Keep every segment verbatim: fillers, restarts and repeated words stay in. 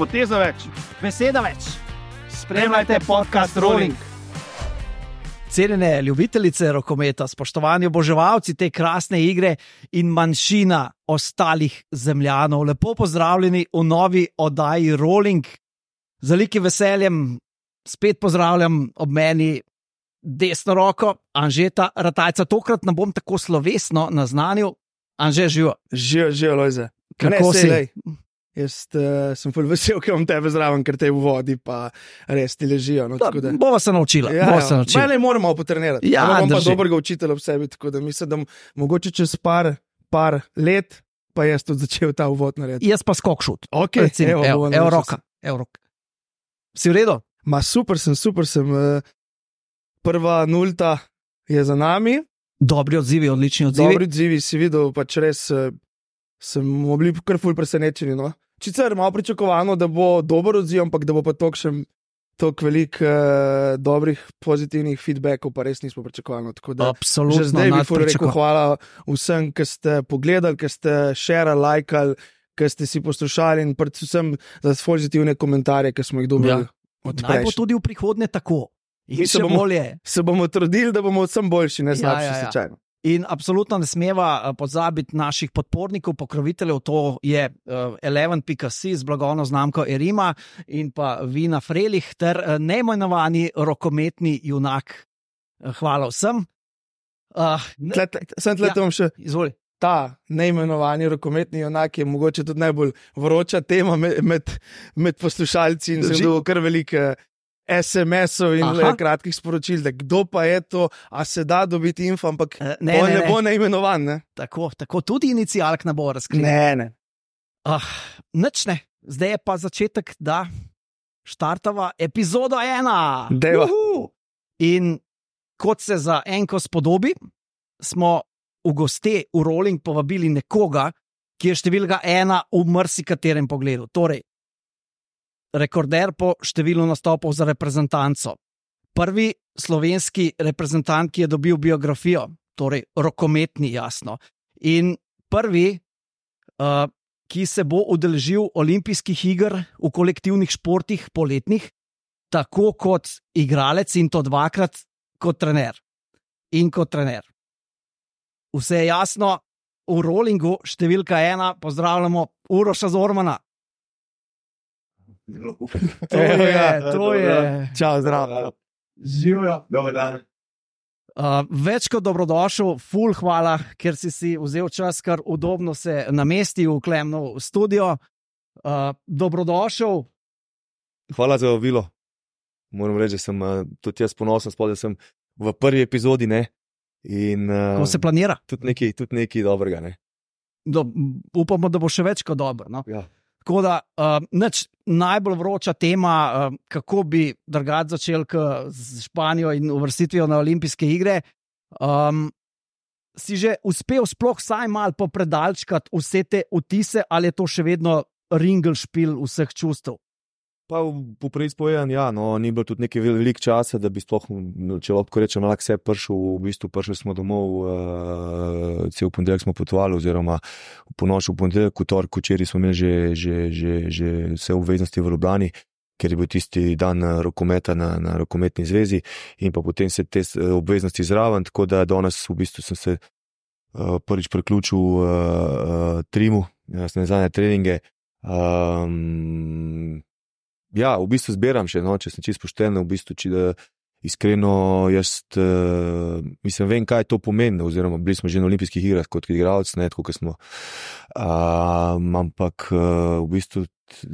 poteza več, beseda več. Spremljajte podcast Rolling. Cenjene ljubitelice rokometa, spoštovani oboževalci te krasne igre in manjšina ostalih zemljanov, lepo pozdravljeni v novi oddaji Rolling. Z velikim veseljem spet pozdravljam ob meni desno roko Anžeta Ratajca. Tokrat ne bom tako slovesno naznanil. Anže, živo. Živo, živo, Lojze. Kako si? Jaz uh, sem ful vesel, ker imam tebe zraven, ker te v vodi pa res ti ležijo. No, da, da... Bova se naučila. Ja, bova se naučila. Ne moramo potrenirati. Ja, imam pa drži. dobrega učitelja v sebi, tako da mislim, da mogoče čez par, par let pa jaz tudi začel ta uvod narediti. Jaz pa skok šut. Okay, Recim, evo, evo, evo roka. Evo roka. Si v redu? Ma super sem, super sem. Prva nulta je za nami. Dobri odzivi, odlični odzivi. Dobri odzivi, si videl, pač res sem bili kar ful presenečeni. No? Čicer malo pričakovano, da bo dober odziv, ampak da bo pa toliko še toliko velik uh, dobrih, pozitivnih feedbackov, pa res nismo pričakovali. Absolutno. Že zdaj bi ful rekel hvala vsem, ki ste pogledali, ki ste share, lajkali, ki ste si poslušali in predvsem za pozitivne komentarje, ki smo jih dobili. Ja. Naj bo tudi v prihodnje tako. Mi se bomo, se bomo trudili, da bomo vsem boljši, ne slabši, ja, ja, ja. slučajno. In absolutno ne smeva pozabiti naših podpornikov, pokroviteljev, to je uh, eleven pika si z blagovno znamko Erima in pa Vina Frelih ter uh, neimenovani rokometni junak. Uh, hvala vsem. Uh, tle, tle, sem tle, ja, še izvoli. Ta neimenovani rokometni junak je mogoče tudi najbolj vroča tema med, med, med poslušalci in sem dobil kar velike es em esov in le, kratkih sporočil, da kdo pa je to, a se da dobiti info, ampak ne, ne, ne, ne bo neimenovan. Ne? Tako, tako tudi inicialk ne bo razkril. Ne, ne. Ah, nič ne. Zdaj je pa začetek, da štartava epizodo ena. Deva. In kot se za enko spodobi, smo v goste v Rolling povabili nekoga, ki je številka ena v marsikaterem pogledu. Torej, rekorder po številu nastopov za reprezentanco. Prvi slovenski reprezentant, ki je dobil biografijo, torej rokometni, jasno. In prvi, uh, ki se bo udeležil olimpijskih iger v kolektivnih športih poletnih, tako kot igralec in to dvakrat kot trener. In kot trener. Vse je jasno, v Rollingu številka ena pozdravljamo Uroša Zormana. To je, to je. Čau, zdravo. Živijo, dober dan. Uh, več kot dobrodošel, ful hvala, ker si si vzel čas, kar udobno se namestil v Klemnov studio. Uh, dobrodošel. Hvala za vabilo. Moram reči, da sem uh, tudi jaz ponosen, spod, da sem v prvi epizodi, ne. In, uh, ko se planira? Tudi nekaj, tudi nekaj dobrega, ne. Do, upamo, da bo še več kot dobro, no. Ja. Tako da, uh, nič najbolj vroča tema, uh, kako bi drugače začel z Španijo in uvrstitvijo na olimpijske igre. Um, si že uspel sploh vsaj malo popredalčkati vse te vtise, ali je to še vedno ringelšpil vseh čustev? Pa po preizpovedan, ja, no, ni bilo tudi nekaj velik časa, da bi sploh, če lahko rečem, lahko vse prišel, v bistvu prišli smo domov, uh, cel ponedeljek smo potovali, oziroma po noči v ponedeljek, v torek, včeraj smo imeli že, že, že, že vse obveznosti v Ljubljani, ker je bil tisti dan rokometa na, na rokometni zvezi in pa potem se te obveznosti zraven, tako da danes v bistvu sem se uh, prvič priključil uh, uh, Trimu, jaz ne znam treninge, um, ja, v bistvu zberam še, no, če sem čisto pošten, v bistvu, če da iskreno jaz, uh, mislim, vem, kaj to pomeni, oziroma bili smo že na olimpijskih igrah kot igralec, ne, tako, kot smo, uh, ampak uh, v bistvu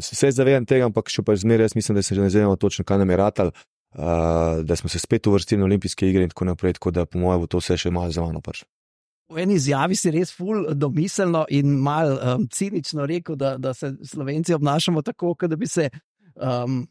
se zavedam tega, ampak še pa zmeraj jaz mislim, da se že ne zavemo točno, kaj nam je ratal, uh, da smo se spet uvrstili na olimpijske igre in tako naprej, tako da po mojem bo to vse še malo za mano prišlo. V eni izjavi si res ful domiselno in mal um, cinično rekel, da, da se Slovenci obnašamo tako, kot da bi se Um,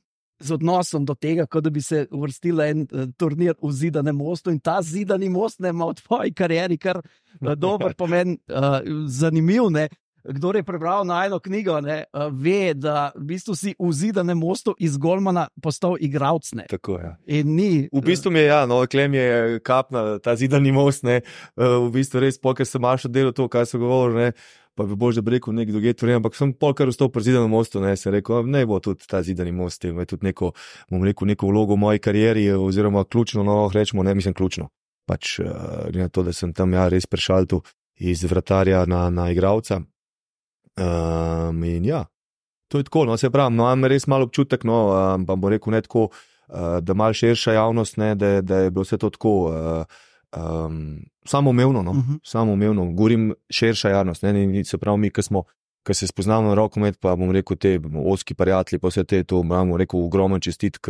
z odnosom do tega, kot da bi se uvrstila en uh, turnir v Zidanem mostu in ta Zidani most ne ima v tvoji karieri kar uh, dober pomen, uh, zanimiv, ne. Kdor je prebral najno knjigo, ne, uh, ve, da v bistvu si v Zidanem mostu iz golmana postal igralec, ne. Tako, ja. In ni... V bistvu mi je, ja, no, Klem je kapna, ta Zidani most, ne, uh, v bistvu res, pokaj sem mašo delo to, kaj so govorili, ne, pa bi bož, da bi rekel nek drugi tvoren, ampak sem pol kar vstopil pri zidanem mostu, ne, sem rekel, ne bo tudi ta zidani most, ima tudi neko, bom rekel, neko vlogo v moji karieri, oziroma ključno, no, rečemo, ne, mislim ključno. Pač, uh, na to, da sem tam, ja, res prešal tu iz vratarja na, na igralca. Um, in ja, to je tako, no, se pravim, no, imam res malo občutek, no, um, pa bom rekel, ne tako, uh, da malo širša javnost, ne, da, da je bilo vse to tako, uh, Um, samoumevno, no, uh -huh. samoumevno, govorim širša javnost, ne, ne, se pravi mi, ki smo, ki se spoznamo na rokomet, pa bom rekel te oski prijatelji, pa vse te, to bom rekel ogromen čestitk,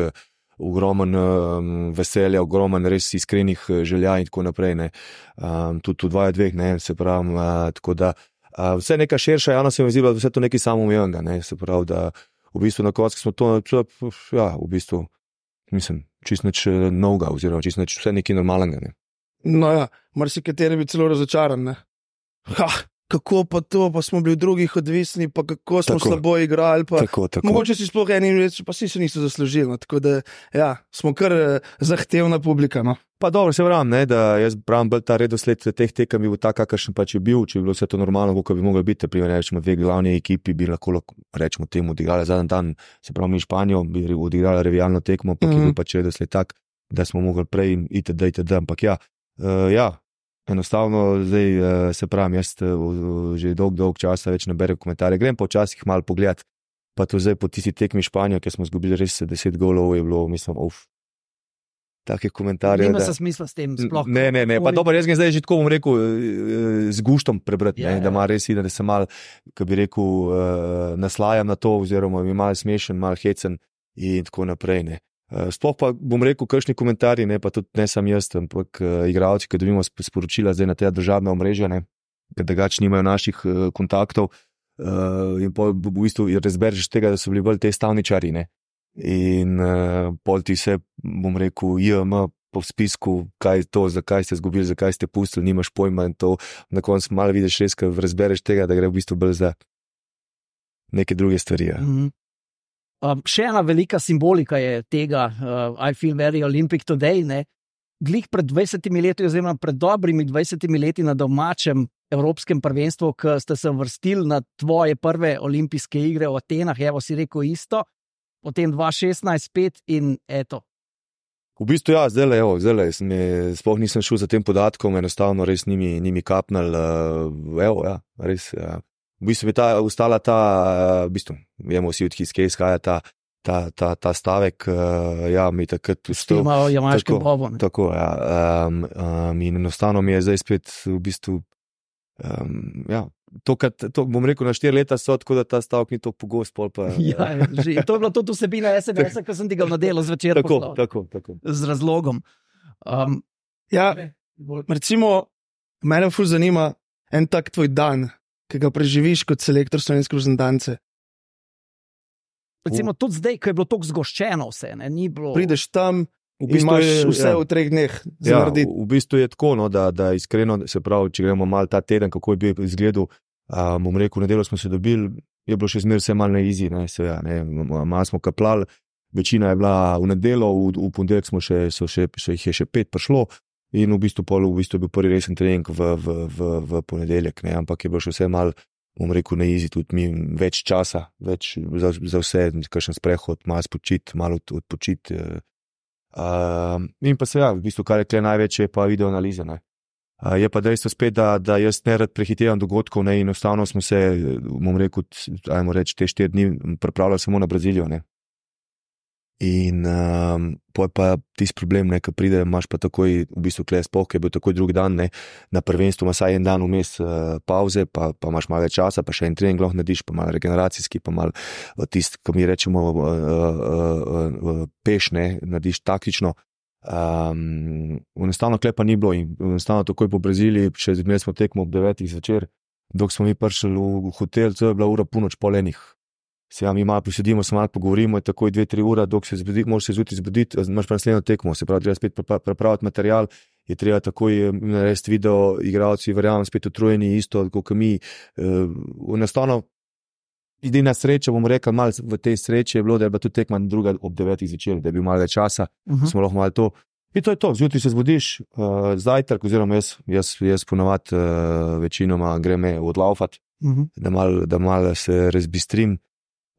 ogromen um, veselja, ogromen res iskrenih želja in tako naprej, ne, um, tudi tu dvaja dveh, ne, se pravi, uh, tako da uh, vse neka širša javnost se mi zdi, da vse to nekaj samoumevnega, ne, se pravi, da v bistvu na koncu smo to, ja, v bistvu, mislim, čist nič novega, oziroma čist nič, vse nekaj normalnega, ne. No ja, marsikateri bi celo razočaran, ne. Ha, kako pa to, pa smo bili v drugih odvisni, pa kako smo tako slabo igrali, pa tako, tako. Mogoče si sploh eni reči, pa si se niso zaslužili, no. Tako da, ja, smo kar eh, zahtevna publika, no. Pa dobro, se pravim, ne, da jaz pravim, bolj ta redosled teh tekem bi bil tak, kakršen pač je bil, če bi bilo vse to normalno, kako bi moglo biti, primer, rečemo, dve glavni ekipi bi lahko, rečemo, temu odigrali zadnji dan, se pravi, mi Španijo bi odigrali revijalno tekmo, pa ki mm -hmm. bi pač redosled tak, da smo mogli prej itd, itd, ampak ja, Uh, ja, enostavno zdaj uh, se pravim, jaz uh, že dolg, dolg časa več ne berem komentarje, grem pa včasih malo pogledat, pa to zdaj po tisti tekmi Španijo, ker smo zgubili res deset golov, je bilo, mislim, uf, take komentarje. Nima se smisla s tem sploh. Ne, ne, ne, pa dobro, jaz ga zdaj že tako bom rekel, z guštom prebrati, ja, ne, ja. Da ima res ide, da se mal, ko bi rekel, uh, naslajam na to, oziroma mi mal smešen, mal hecen in tako naprej, ne. Sploh pa bom rekel, kakšni komentarji, ne, pa tudi ne sam jaz, ampak uh, igralci, ki dobimo sporočila zdaj na te državne omrežja, ne, ker drugače nimajo naših uh, kontaktov uh, in pol v bistvu razbereš tega, da so bili bolj te stavničari, ne, in uh, pol ti se, bom rekel, J M po spisku, kaj je to, zakaj ste zgubili, zakaj ste pustili, nimaš pojma in to, na koncu malo vidiš res, ker razbereš tega, da gre v bistvu bolj za neke druge stvari, ja. Mm-hmm. Um, še ena velika simbolika je tega, uh, I feel very Olympic today, ne. Glih pred dvajsetimi leti, oziroma pred dobrimi dvajsetimi leti na domačem evropskem prvenstvu, ko ste se vrstili na tvoje prve olimpijske igre v Atenah, evo si rekel isto, potem dva šestnajst pet in eto. V bistvu ja, zdaj evo, zdaj sploh nisem šel za tem podatkom, enostavno res nimi, nimi kapnal, uh, evo, ja, res, ja. V bistvu bi ta, ustala ta, v bistvu, vemo vsi, od kje izhaja ta, ta, ta, ta stavek, uh, ja, mi takrat vstal. Imajo jamaške bobo. Tako, ja, um, um, in enostavno mi je zdaj spet v bistvu, um, ja, to, kad, to bom rekel, na štiri leta so, tako da ta stavek ni to pogost, pol pa. Ja, že, to je bilo tudi vsebina es em es-a, ko sem ti ga na delo zvečer poslal. Tako, tako, tako. Z razlogom. Um, ja, recimo, mene ful zanima en tak tvoj dan, ki ga preživiš kot selektor slovenske reprezentance. Recimo tudi zdaj, ko je bilo tako zgoščeno vse, ne, ni bilo. Prideš tam, v bistvu imaš je, vse ja. v treh dneh za ja, narediti. V bistvu je tako, no, da, da iskreno, se pravi, če gremo malo ta teden, kako je bil izgledal, um, bom rekel, na delo smo se dobili, je bilo še zmer vse malo na izi, ne, se, ja, ne, malo smo kaplali, večina je bila v nedelo, v, v ponedeljek smo še, so še, so jih je še pet prišlo in v bistvu pol, v bistvu je bil prvi resen trening v, v, v, v ponedeljek, ne, ampak je bilo še vse malo, bom rekel, na izi, tudi mi več časa, več za, za vse, kakšen sprehod, malo spočiti, malo odpočiti. Uh, in pa se ja, v bistvu, kar je kle največje, je pa video analiza. Ne. Uh, je pa dejstvo spet, da, da jaz ne rad prehitevam dogodkov, ne, in enostavno smo se, bom rekel, ajmo reči, te štiri dni pripravljali samo na Brazilijo. Ne. In um, poj pa tisti problem, ne, ko pride, imaš pa takoj, v bistvu kle sploh, ki je bil takoj drugi dan, ne, na prvenstvu imaš vsaj en dan vmes uh, pauze, pa, pa imaš malo več časa, pa še en trening lahko narediš, pa malo regeneracijski, pa malo tisti, ko mi rečemo uh, uh, uh, uh, peš, ne, narediš taktično. Um, enostavno kle pa ni bilo in enostavno takoj po Braziliji, še imeli smo tekmo ob devetih zvečer, dok smo mi prišli v hotel, to je bila ura ponoč pol enih. Se ja, mi malo posedimo, se malo pogovorimo, je takoj dve, tri ura, dok se zbudi, moraš se zjutraj zbuditi, imaš pa naslednjo tekmo, se pravi, treba spet pripraviti material, je treba takoj narediti video, igralci, verjamem, spet utrujeni, isto, kot mi. Enostavno, edina sreča, bom rekel, malo v tej sreči je bilo, da je bila tudi tekma druga ob devetih zvečer, da je bil malo več časa, uh -huh. smo lahko malo to. In to je to, zjutraj se zbudiš, uh, zajtrk, oziroma jaz, jaz, jaz ponovadi uh, večinoma greme odlaufati, Mhm. da malo mal se razbistrim,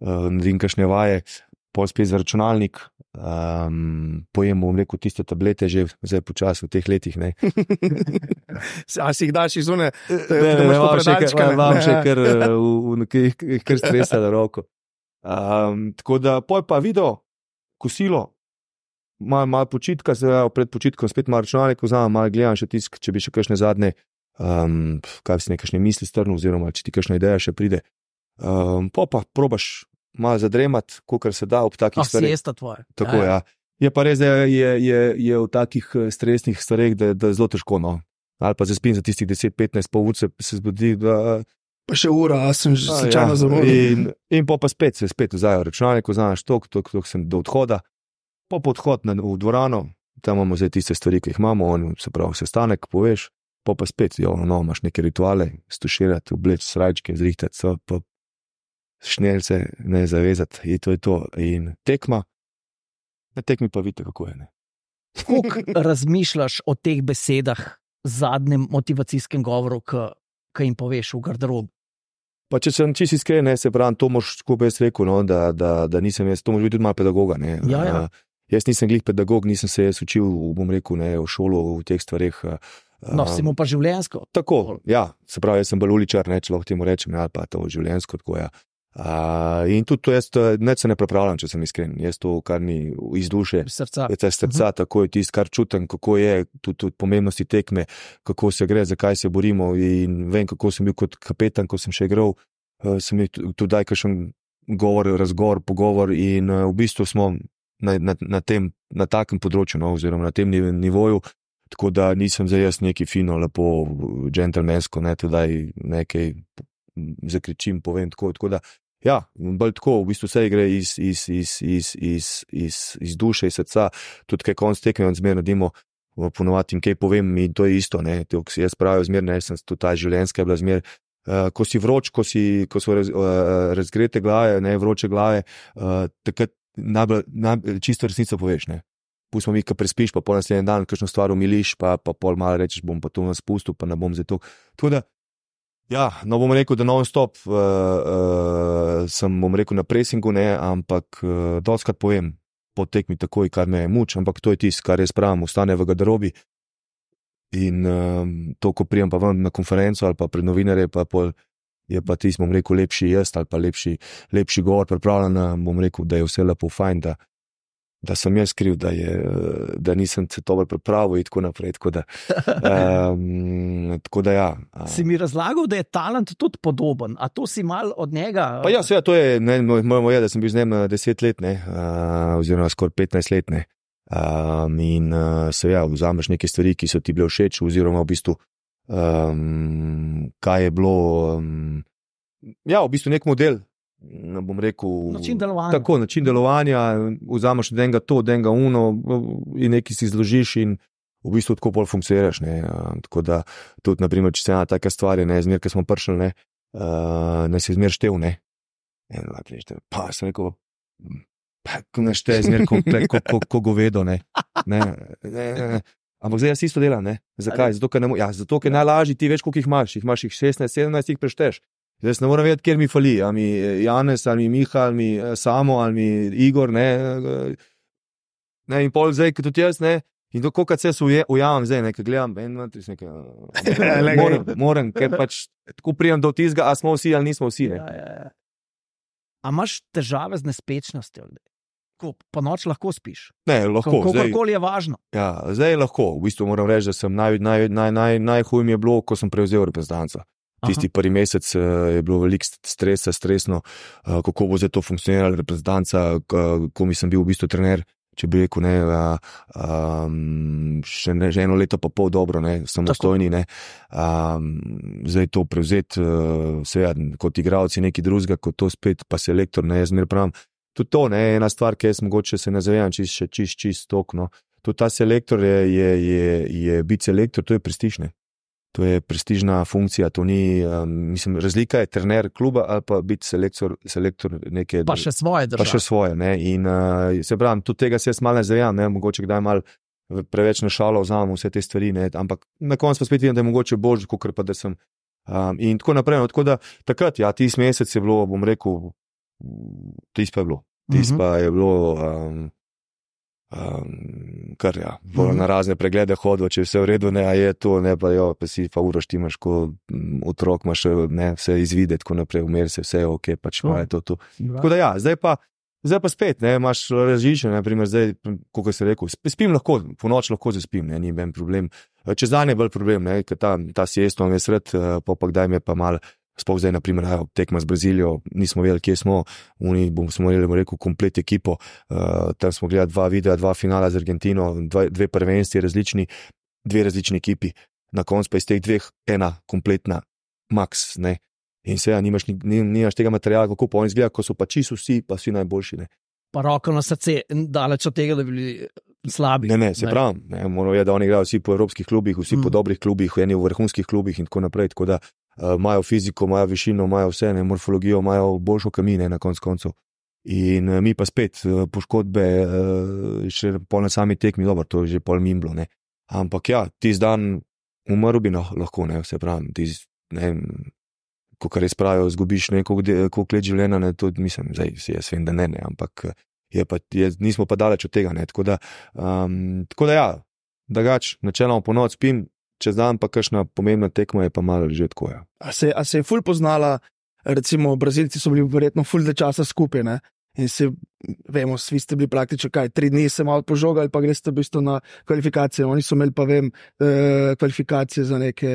uh, naredim kakšne vaje, pol spet za računalnik, um, pojem, bom rekel, tiste tablete že zdaj počasi v teh letih. Ne. A si jih daš iz une? Imam še kar, imam še kar, kar stresa na roko. Um, tako da, poj pa video, kosilo, malo mal počitka, zdaj pred počitkom spet malo računalnik vzamem, malo gledam še tisk, če bi še kakšne zadnje, um, kaj si nekakšne misli strnil, oziroma če ti kakšna ideja še pride. Um, poj pa probaš malo zadremat, kolikor se da ob takih stvareh. Siesta tvoja. Tako, ja. Je pa res, da je, je, je v takih stresnih stvareh, da, da je zelo težko, no. Ali pa zaspim za tistih deset petnajst pol ur se, se zbudi, da... Pa še ura, a sem že slučajno ja. zamudil. In, in pa, pa spet se spet vzajo računalnik, vzameš tok, tok, tok sem do odhoda, pa po odhod na, v dvorano, tam imamo zdaj tiste stvari, ki jih imamo, on, se pravi, sestanek, poveš, pa pa spet, jo, no, imaš neke rituale, stuširati, obleč srajčke, zrihtati, so, pa šnelce, ne zavezati, in to je to. In tekma, na tekmi pa vidite, kako je, ne. Kako razmišljaš o teh besedah, zadnjem motivacijskem govoru, ki jim poveš v garderobi? Pa če sem čisto iskren, ne, se pravim, to moš, ko bi jaz rekel, no, da, da, da nisem jaz, to moš biti tudi malo pedagoga, ne. Ja, ja. Uh, jaz nisem glih pedagog, nisem se jaz učil, bom rekel, ne, v šolo, v teh stvareh. Uh, no, si mu pa življenjsko. Tako, ja, se pravi, jaz sem bolj uličar, ne, če lahko temu rečem, ali pa to življenjsko, tako, ja. Uh, in tudi to jaz, ne se ne pripravljam, če sem iskren, jaz to, kar mi iz duše, srca, je srca, tako je tisto, kar čutim, kako je, tudi, tudi pomembnosti tekme, kako se gre, zakaj se borimo, in vem, kako sem bil kot kapetan, ko sem še igral, uh, sem imel tudi daj kakšen govor, razgovor, pogovor, in uh, v bistvu smo na, na, na tem, na takem področju, no, oziroma na tem nivoju, tako da nisem zdaj jaz neki fino, lepo, džentelmensko, ne, tudi nekaj zakričim, povem tako, tako da, ja, bolj tako, v bistvu vse gre iz, iz, iz, iz, iz, iz, iz duše, iz srca, tudi kaj konc tekme, on zmer naredimo, ponovati in kaj povem, in to je isto, ne, to, ko si jaz pravijo zmer, ne, sem tudi ta življenjska je bila zmer, uh, ko si vroč, ko si, ko so raz, uh, razgrete glave, ne, vroče glave, uh, takrat najbolj, najbolj čisto resnico poveš, ne. Pustimo mi, ko prespiš, pa pol naslednji dan, kakšno stvar umiliš, pa, pa pol malo rečeš, bom pa to nas pustil, pa ne bom za to. Tako da, ja, no bom rekel, da non-stop uh, uh, sem, bom rekel, na presingu, ne, ampak uh, dostkrat povem po tekmi takoj, kar me je muč, ampak to je tisto, kar jaz pravim, ostane v garderobi in uh, to, ko prijem pa ven na konferenco ali pa pred novinarje, pa pol je pa tisto, bom rekel, lepši jaz ali pa lepši, lepši govor pripravljen, bom rekel, da je vse lepo fajn, da da sem jaz kriv, da, je, da nisem se dobro pripravil in tako naprej. Tako da, um, tako da ja. Si mi razlagal, da je talent tudi podoben, a to si mal od njega? Pa ja, seveda, to je, ne, moramo je, da sem bil z njim deset let, ne, uh, oziroma skoraj petnajst let, ne. Um, in uh, seveda, vzameš neke stvari, ki so ti bile všeč, oziroma v bistvu, um, kaj je bilo, um, ja, v bistvu nek model, ne bom rekel, način delovanja. Tako, način delovanja, vzameš od enega to, od enega uno in nekaj si zložiš in v bistvu tako bolj funkcioniraš, ne. Tako da tudi, naprimer, če se ena taka stvar je, ne, zmer, ko smo prišli, ne, uh, ne se zmer štev, ne. En, lak, neštev. Pa sem rekel, pa ne štev, zmer, ko, ko, ko, ko govedo, ne. Ne, ne, ne. Ampak zdaj jaz isto delam, ne. Zakaj? Zato, ker, ne, ja, zato, ker najlažji ti veš, koliko jih imaš. Jih imaš jih šestnajst, sedemnajst, jih prešteš. Zdaj ne moram vedeti, kjer mi fali, ali mi Janez, ali mi Miha, ali mi Samo, ali mi Igor, ne, ne, in pol zdaj, kot tudi jaz, ne, in to, koliko se ujamem zdaj, nekaj gledam, en, dva, tri, nekaj, moram, moram, ker pač tako prijem do tizga, a smo vsi, ali nismo vsi, ne. Ja, ja, ja. A imaš težave z nespečnostjo? Ko po noč lahko spiš? Ne, lahko. Kakorkoli je važno. Ja, zdaj lahko, v bistvu moram reči, da sem naj, naj, naj, naj, najhuj mi je bilo, ko sem prevzel reprezentanco. Tisti prvi mesec je bilo veliko stresa, stresno, kako bo zdaj to funkcioniralo, reprezentanca, ko mi sem bil v bistvu trener, če bi rekel, ne, um, še, ne, že eno leto pa pol dobro, ne, samostojni, ne, um, zdaj to prevzeti, uh, seveda, kot igralci neki drugega, kot to spet pa selektor, ne, jaz zmer pravim, tudi to, ne, ena stvar, ki jaz mogoče se ne zavejam, čist, še čist, čist tok, no, tudi ta selektor je, je, je, je biti selektor, to je prestižne. To je prestižna funkcija, to ni, um, mislim, razlika je trener kluba ali pa biti selektor, selektor neke... Pa še svoje države. Pa še svoje, ne, in uh, se pravim, tudi tega se jaz malo ne zavejam, ne, mogoče kdaj malo preveč na šalo vzamem vse te stvari, ne, ampak na koncu pa spet vidim, da je mogoče bolj, kot pa da sem Um, in tako naprej. No, tako da takrat, ja, tisti mesec je bilo, bom rekel, tisti pa je bilo. Tisti pa je bilo. Um, Um, kar ja, bolj mm-hmm. na razne preglede hodil, če je vse v redu, ne, a je to, ne, pa jo, pa si pa uro štimaš, ko m, otrok imaš, ne, vse izvide, tako naprej, umeri se, vse je ok, pač pa je to tu. Tako da ja, zdaj pa, zdaj pa spet, ne, imaš različne, ne, primer, zdaj, kako se rekel, spim lahko, po noč lahko zaspim, ne, ni ben problem. Čez dan je bolj problem, ne, ker ta, ta siesto vam je sred, pa pa kdaj me pa mal, sploh zdaj, na primer, tekma z Brazilijo, nismo vedeli, kje smo, oni bomo smo imeli, rekel, komplet ekipo, uh, tam smo gledali dva videa, dva finala z Argentino, dva, dve prvenstvi različni, dve različni ekipi, na koncu pa iz teh dveh ena kompletna max, ne, in se ja, nimaš, nimaš tega materijala, kako pa oni izgleda, ko so pa čisto vsi, pa vsi najboljši, ne. Pa roko na srce, daleč od tega, da bi bili slabi. Ne, ne, se pravim, ne, moramo je, da oni igrajo vsi po evropskih klubih, vsi mm. po dobrih klubih, eni v vrhunskih klubih in tako naprej, tako da Uh, imajo fiziko, imajo višino, imajo vse, ne, morfologijo, imajo boljšo kamine na konc koncev. In uh, mi pa spet uh, poškodbe, uh, še pol na sami tekmi, dobro, to je že pol mimblo, ne. Ampak ja, tisti dan umrl bi no, lahko, ne, vse pravim, tisti, ne, ko kar res pravijo, zgubiš koliko let življenja, ne, to mislim, zdaj si jaz vem, da ne, ne, ampak je pa, je, nismo pa daleč od tega, ne, tako da, um, tako da ja, drugač, načeloma po noč spim, čez dan pa kakšna pomembna tekma je pa malo že tako, ja. A se, a se je ful poznala, recimo Brazilci so bili verjetno ful de časa skupaj, ne? In se, vemo, svi ste bili praktično kaj, tri dni se malo požogali, pa greste v bistvu na kvalifikacije. Oni so imeli pa, vem, eh, kvalifikacije za neke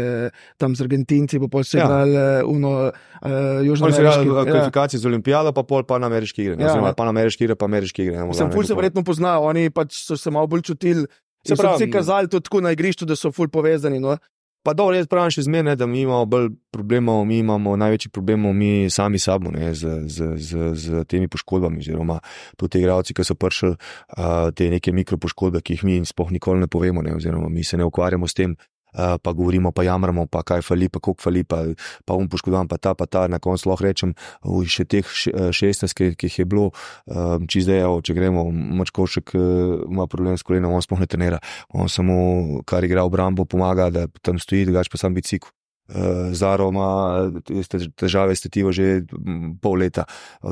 tam z Argentinci, pa pol se ja. igrali uno eh, južnoameriški. Oni so igrali kvalifikacije ja. z Olimpijado, pa pol panameriški igre. Ja, ja. Panameriški igre, pa ameriški igre. Sem ful se verjetno poznal, oni pač so se malo bolj čutili. Se so vsi kazali tudi tako na igrišču, da so ful povezani. No? Pa dobro, jaz pravim še zmeraj, da mi imamo bolj problemov, mi imamo največji problemov mi sami sabo, ne, z, z, z, z temi poškodbami, oziroma tudi te igralci, ki so prišli uh, te neke mikropoškodbe, ki jih mi sploh nikoli ne povemo, ne, oziroma mi se ne ukvarjamo s tem, uh, pa govorimo, pa jamramo, pa kaj fali, pa koliko fali, pa, pa um poškodovan, pa ta, pa ta, na koncu lahko rečem, uj, še teh šestnajst, ki jih je bilo, um, če zdaj, če gremo, Mačkovšek uh, ima problem s kolenom, on sploh ne trenira, on samo, kar igra v brambo, pomaga, da tam stoji, drugače pa sam bicikl. Uh, Zaro ima težave s tetivo že pol leta,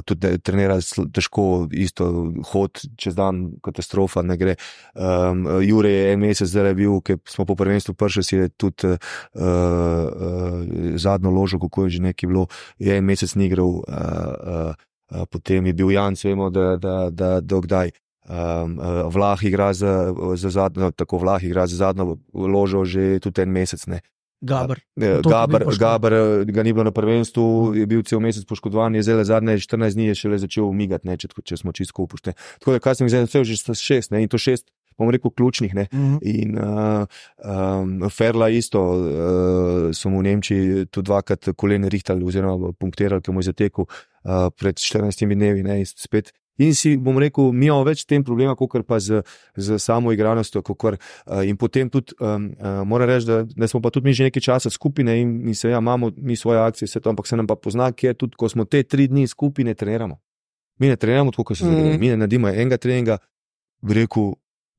tudi trenira težko, isto hod čez dan, katastrofa, ne gre. Um, Jure je en mesec zdaj bil, ker smo po prvenstvu prišli, si je tudi uh, uh, zadnjo ložo, kako je že nekaj bilo, je en mesec ni igral, uh, uh, uh, potem je bil Janc, vemo, da, da, da, da kdaj. Um, uh, Vlah igra za, za zadnjo, tako Vlah igra za zadnjo ložo že tudi en mesec, ne. Gaber. Gaber, Gaber ga ni bilo na prvenstvu, je bil cel mesec poškodovan, je zdaj zadnje štirinajst dni je šele začel umigati, ne, če, če smo čisto upošteni. Tako da, kaj sem zdaj vse že šest, ne, in to šest, bom rekel, ključnih, ne. Mm-hmm. In uh, um, Ferla isto, uh, so mu v Nemčiji tudi dvakrat kolene rihtali oziroma punktirali, ki mu je zatekel uh, pred štirinajstimi dnevi, ne, in spet. In si, bom rekel, mi imamo več tem problema, kakor pa z, z samo igranostjo, kakor, uh, in potem tudi, um, uh, moram reči, da, da smo pa tudi mi že nekaj časa skupine in, in se ja, imamo mi svoje akcije, vse to, ampak se nam pa pozna, kje tudi, ko smo te tri dni skupine treniramo. Mi ne treniramo tako, kot se zavedamo, mm. mi ne naredimo enega treninga, bi rekel,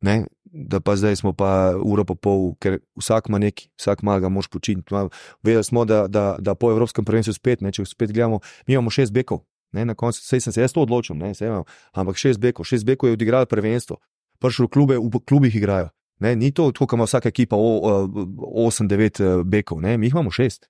ne, da pa zdaj smo pa uro pa pol, ker vsak ima neki, vsak malo ga moš počiniti. Vedeli smo, da, da, da po evropskem prvenstvu spet, ne, če spet gledamo, mi imamo šest bekov. Ne, na koncu, sej sem se jaz to odločil, ne, sej imam, ampak šest bekov, šest bekov je odigralo prvenstvo, prišli v klube, v klubih igrajo, ne, ni to tako, kot ima vsaka ekipa osem devet bekov, ne, mi jih imamo šest,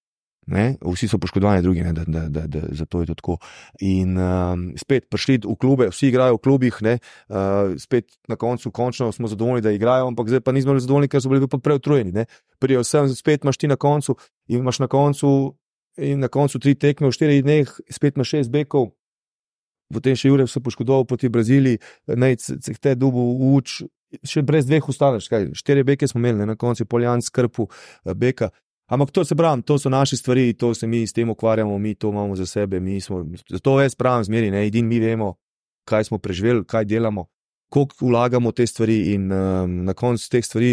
ne, vsi so poškodovani drugi, ne, da, da, da, da, zato je to tako. In um, spet prišli v klube, vsi igrajo v klubih, ne, uh, spet na koncu, končno smo zadovoljni, da igrajo, ampak zdaj pa nismo zadovoljni, ker so bili pa preutrujeni, ne, prijo sem, spet imaš ti na koncu in imaš na koncu in na koncu tri tekme v štirih dneh, spet imaš šest bekov, potem še Jure se poškodoval proti Braziliji, naj se te dubu uč, še brez dveh ustaneš, kaj, štiri beke smo imeli, ne, na koncu Poljan skrpu beka, ampak to se pravim, to so naše stvari, to se mi s tem ukvarjamo, mi to imamo za sebe, mi smo, zato jaz pravim zmeri, ne, edin mi vemo, kaj smo preživeli, kaj delamo, koliko vlagamo te stvari in um, na koncu teh stvari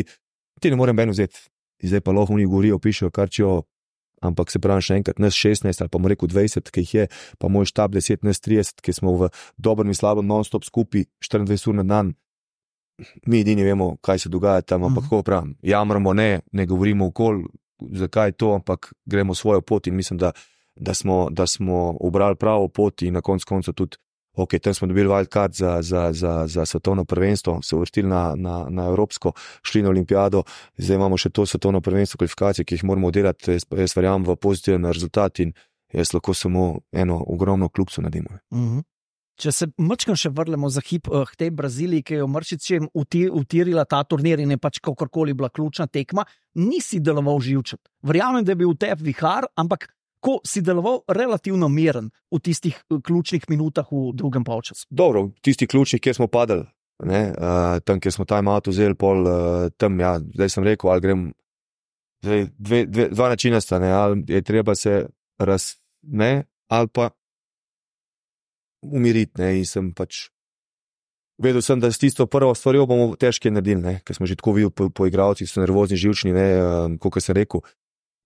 ti ne morem ben vzeti, zdaj pa lahko oni govorijo, pišejo, kar čijo, ampak se pravim še enkrat, nas šestnajst ali pa mu rekel dvajset, ki jih je, pa moj štab deset, nas trideset, ki smo v dobrem in slabem non-stop skupaj štiriindvajset ur na dan, mi edini vemo, kaj se dogaja tam, ampak kako pravim, jamramo ne, ne govorimo okoli, zakaj to, ampak gremo svojo pot in mislim, da, da, smo, da smo obrali pravo pot in na koncu konca tudi, ok, tam smo dobili wildcard za, za, za, za svetovno prvenstvo, se uvrstili na, na, na Evropsko, šli na Olimpijado, zdaj imamo še to svetovno prvenstvo kvalifikacije, ki jih moramo delati, jaz, jaz verjamem v pozitiven rezultat in jaz lahko samo eno ogromno kljukico naredimo. Mhm. Če se mačkam še vrnemo za hip uh, k tej Braziliji, ki je v Mršičem utirila ta turnir in je pač kakorkoli bila ključna tekma, nisi deloval živčet. Verjamem, da je bil v tebi vihar, ampak ko si deloval relativno miren v tistih uh, ključnih minutah v drugem polčasu. Dobro, v tistih ključnih, kjer smo padali, ne, uh, tam, kjer smo time out vzeli, pol uh, tam, ja, zdaj sem rekel, ali grem, zdaj dve, dve, dva načina sta, ne, ali je treba se raz, ne, ali pa umiriti, ne, in sem pač vedel sem, da s tisto prvo stvarjo bomo težke naredili, ne, ker smo že tako videli po, po igravcih, so nervozni, živčni, ne, um, kot sem rekel,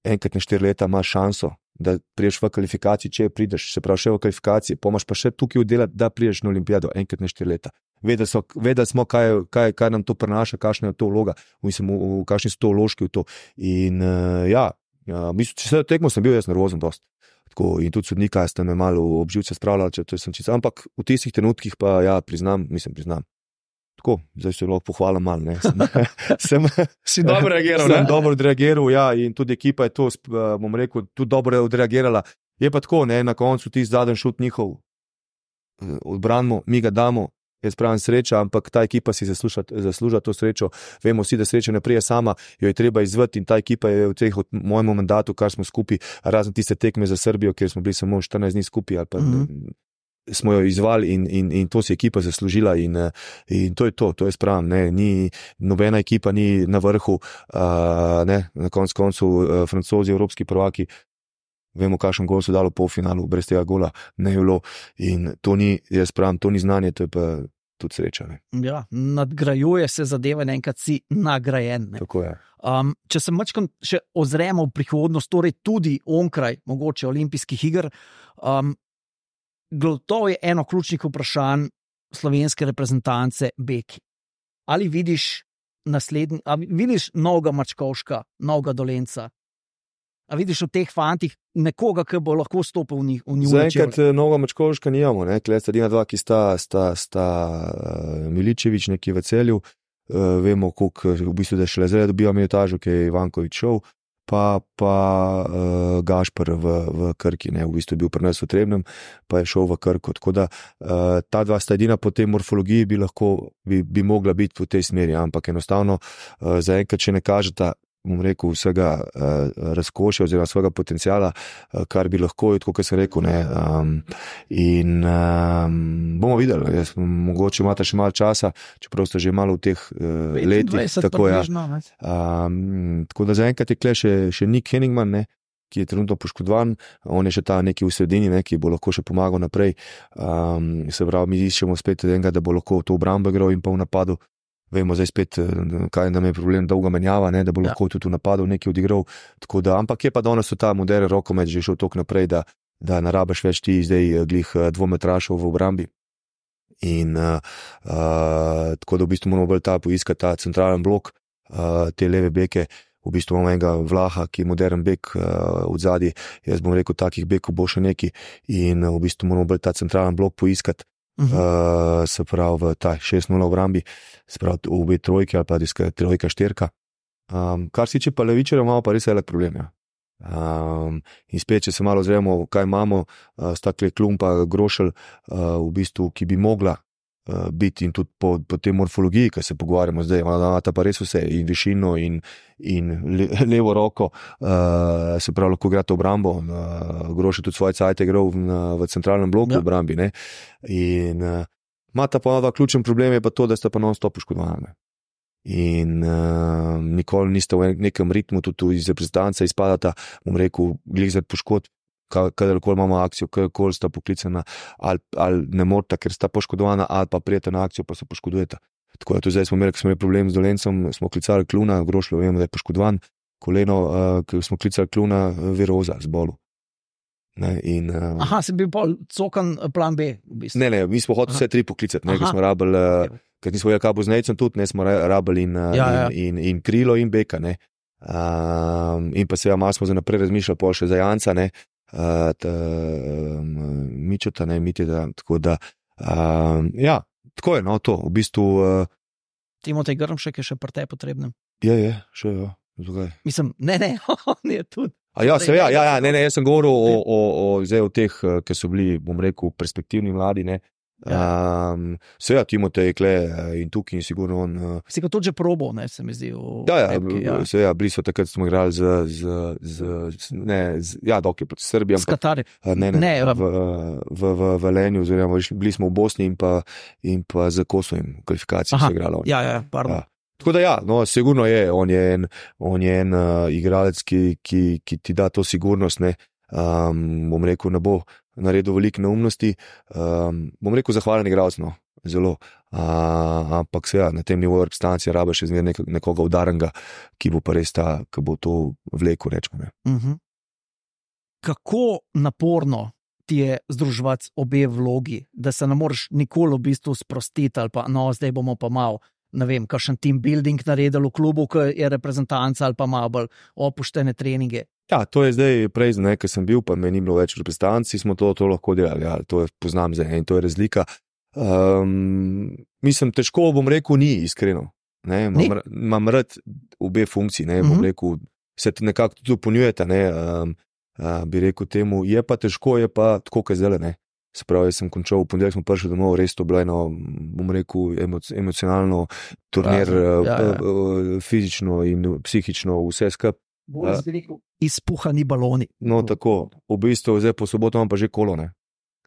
enkrat na štiri leta imaš šanso, da priješ v kvalifikaciji, če prideš, se pravi še v kvalifikaciji, pomaš pa še tukaj oddelati, da priješ na olimpijado enkrat na štiri leta. Vedeli, so, vedeli smo, kaj, kaj, kaj nam to prenaša, kakšna je to vloga, mislim, v, v, kakšni so to vložki v to. In uh, ja, ja, mislim, če se tekmo sem bil jaz nervozen dost. Tako, in tudi sodnika ste me malo obživce spravljali, če to sem čisto, ampak v tistih trenutkih pa ja, priznam, mislim, priznam. Tako, zdaj se lahko pohvalim malo, ne. Sem, sem, si dobro reagiral, sem ne? dobro odreagiral, ja, in tudi ekipa je to, bom rekel, tudi dobro odreagirala. Je pa tako, ne, na koncu ti zadnji šut njihov odbranimo, mi ga damo, jaz pravim sreča, ampak ta ekipa si zasluža, zasluža to srečo. Vemo vsi, da sreča ne prije sama, jo je treba izvati in ta ekipa je v teh, v mojem mandatu, kar smo skupaj, razen tiste tekme za Srbijo, kjer smo bili samo štirinajst dni skupaj, ali pa mm-hmm. smo jo izvali in, in, in to si ekipa zaslužila in, in to je to, to je spravim, ne, ni, nobena ekipa ni na vrhu, uh, ne, na koncu koncu uh, Francozi, evropski prvaki, vemo, kakšen gol so dali v polfinalu, brez tega gola ne je bilo in to ni, jaz pravim, to ni znanje, to je pa tudi sreča. Ne. Ja, nadgrajuje se zadeve, enkrat si nagrajen. Ne. Tako je. Um, če se mačkam še ozremo v prihodnost, torej tudi onkraj mogoče olimpijskih iger, um, gotovo je eno ključnih vprašanj slovenske reprezentance beki. Ali vidiš naslednji, ali vidiš novega Mačkovška, novega Dolenca? A vidiš v teh fantih nekoga, ki bo lahko stopil v njih? Zaenkrat novega Mačkovška nijamo, ne, klej sta dina dva, ki sta, sta, sta uh, Miličević neki v Celju, uh, vemo, koliko v bistvu, da šele zdaj dobiva minutažo, ki je Ivanković šel, pa, pa uh, Gašper v, v Krki, ne, v bistvu je bil pri nas v Trebnem, pa je šel v Krko, tako da uh, ta dva sta edina po tej morfologiji bi lahko, bi, bi mogla biti v tej smeri, ampak enostavno uh, zaenkrat še ne kažeta, bom rekel, vsega uh, razkošja oziroma svojega potencijala, uh, kar bi lahko, tako kot sem rekel, ne, um, in um, bomo videli, jaz, mogoče imate še malo časa, čeprav ste že malo v teh uh, letih, tako, ja. um, tako da zaenkrat je kle še, še Nick Henningman, ne, ki je trenutno poškodovan, on je še ta neki v sredini, ne, ki bo lahko še pomagal naprej, um, se pravi, mi iščemo spet enega, da bo lahko to obrambo igral in pa v napadu. Vemo zdaj spet, kaj nam je problem, dolga menjava, ne, da bo lahko ja. tudi v napadu nekaj odigral. Tako da, ampak je pa danes ta moderen rokomet že šel toliko naprej, da, da ne rabiš več ti zdaj glih dvometrašov v obrambi. In uh, uh, tako da v bistvu moramo bolj ta poiskati ta centralen blok, uh, te leve beke. V bistvu imamo enega Vlaha, ki je modern bek uh, od zadnji. Jaz bom rekel, takih bekov bo še neki in uh, v bistvu moramo bolj ta centralen blok poiskati. Uh -huh. uh, se pravi v ta šest nula obrambi, se pravi v obe trojke ali pa diska trojka štirka. Um, kar si če pa levičarja, imamo pa res velik problem. Ja. Um, in spet, če se malo zremo, kaj imamo, uh, stakle Klumpa, Grošelj, uh, v bistvu, ki bi mogla uh, biti in tudi po, po tej morfologiji, ki se pogovarjamo zdaj, ima ta pa res vse, in višino in, in le, levo roko, uh, se pravi, lahko igrate obrambo, uh, Grošelj tudi svoje cajte igral v, v centralnem bloku v obrambi, ne, in uh, ima ta pa dva ključen problem je pa to, da sta pa non-stop poškodovani. In uh, nikoli niste v nekem ritmu, tudi iz reprezentance izpadata, bom rekel, glih zaradi poškodb, kadarkoli imamo akcijo, kadarkoli sta poklicana, ali, ali ne morata, ker sta poškodovana, ali pa prijete na akcijo, pa se poškodujeta. Tako da tudi zdaj smo imeli, ko smo imeli problem z Dolencem, smo klicali Kluna, Grošljo, vemo, da je poškodovan, koleno, uh, ko smo klicali Kluna, Viroza z bolu. Ne, in, uh, Aha, se bi bolj cokan plan B, v bistvu. Ne, ne, mi smo hoteli vse tri poklicati, ne, ker smo rabili, uh, ker nismo vedeli, kaj bo z Nejcem tudi, ne, smo rabili in, uh, ja, ja. in, in, in krilo in beka, ne. Um, in pa seveda malo smo za naprej razmišljali, pol še za Janca, ne, uh, ta, um, Mičota, ne, Mitjeda, tako da, um, ja, tako je, no, to, v bistvu. Uh, Timotej Grmšek je še pri tebi potrebnem. Je, je, še je, zakaj? Mislim, ne, ne, on je tudi. A ja, se, ja, ja, ja, ne, ne, jaz sem govoril o, o, o, zdaj o teh, ki so bili, bom rekel, perspektivni mladi, ne. Ja. Um, se ja, Timotej Kle in tukaj in sigurno on. Si ga tudi že probal, ne, se mi zdi. Ja, ja, epki, ja. Se ja, bili so takrat, smo igrali z, z, z, z ne, z, ja, dok je proti Srbiji. S Katari. Ne, ne, ne v, v, v Velenju, oziroma bili smo v Bosni in pa, in pa z Kosovim kvalifikacijami so igrali. Ja, ja, pardon. Ja. Tako da ja, no, sigurno je, on je en, on je en uh, igralec, ki, ki, ki ti da to sigurnost, ne, um, bom rekel, ne bo naredil veliko neumnosti, um, bom rekel, zahvalen igralec, no, zelo, uh, ampak se ja, na tem nivoju reprezentacije rabe še zmer nek, nekoga udarnega, ki bo pa res ta, ki bo to vlekel, rečemo. Ne. Uh-huh. Kako naporno ti je združevati obe vlogi, da se ne moreš nikoli v bistvu sprostiti ali pa, no, zdaj bomo pa malo, ne vem, kakšen team building naredil v klubu, ki je reprezentanca ali pa malo bolj opuštene treninge. Ja, to je zdaj prej, ne, ker sem bil, pa me ni bilo več reprezentanci, smo to, to lahko delali, ja, to je, poznam zdaj in to je razlika. Um, mislim, težko bom rekel, ni iskreno. Ne, imam, imam rad obe funkciji, ne, bom uh-huh. rekel, se nekako tudi dopolnjujeta, ne, um, uh, bi rekel temu, je pa težko, je pa tako, kaj zdaj, ne. Se pravi, jaz sem končal, v ponedeljek smo prišli domov, res to bilo eno, bom rekel, emoc- emocionalno turnir, ja, ja. uh, fizično in psihično, vse skup. Uh, Izpuhani baloni. No, tako, v bistvu zdaj po soboto imam pa že kolo, ne.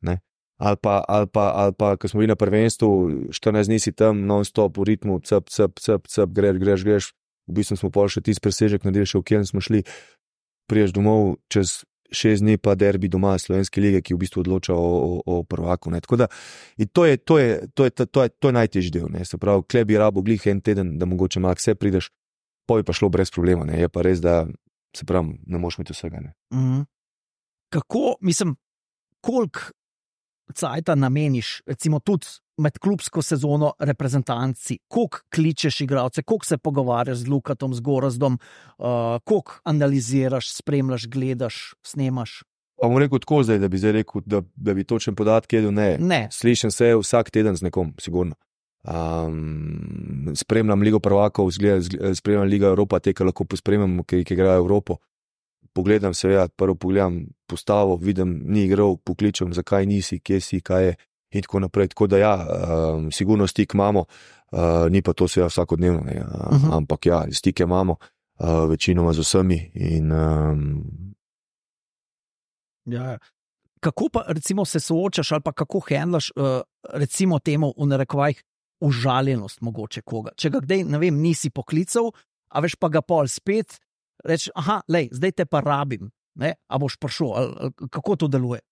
ne? Ali pa, ali pa, ali pa, ko smo bili na prvenstvu, štirinajst dni si tam, non-stop v ritmu, cep, cep, cep, cep, greš, greš, greš. V bistvu smo pol še tisti presežek naredili, še v kjer smo šli, priješ domov čez šest dni pa derbi doma Slovenske lige, ki v bistvu odloča o, o, o prvaku. Ne. Tako da, to je, to je, to je, to je, to je najtežji del. Ne. Se pravi, kle bi rabo glih en teden, da mogoče malo vse prideš, pa bi pa šlo brez problema. Ne. Je pa res, da se pravi, ne moš imeti vsega. Ne. Mm. Kako, mislim, koliko cajta nameniš, recimo tudi med klubsko sezono reprezentanci, koliko kličeš igralce, koliko se pogovarjaš z Lukatom, z Gorazdom, uh, koliko analiziraš, spremljaš, gledaš, snemaš? Pa bom rekel tako zdaj, da bi zdaj rekel, da, da bi točen podatke jedel, ne. ne. Slišim se vsak teden z nekom, sigurno. Um, spremljam Ligo prvakov, spremljam Liga Evropa, te, ki lahko pospremljam, ki, ki igrajo Evropo. Pogledam se, ja, prvo pogledam postavo, vidim, ni igral, pokličem, zakaj nisi, kje si, kaj je. In tako naprej, tako da ja, um, sigurno stik imamo, uh, ni pa to seveda vsakodnevno, ne, uh, uh-huh. ampak ja, stike imamo, uh, večinoma z vsemi. In, um... ja, kako pa recimo se soočaš ali pa kako handlaš uh, recimo temu v narekovajih užaljenost mogoče koga? Če ga kdaj, ne vem, nisi poklical, a veš pa ga pol spet, reči, aha, lej, zdaj te pa rabim, ne, a boš prišel, ali, ali, kako to deluje?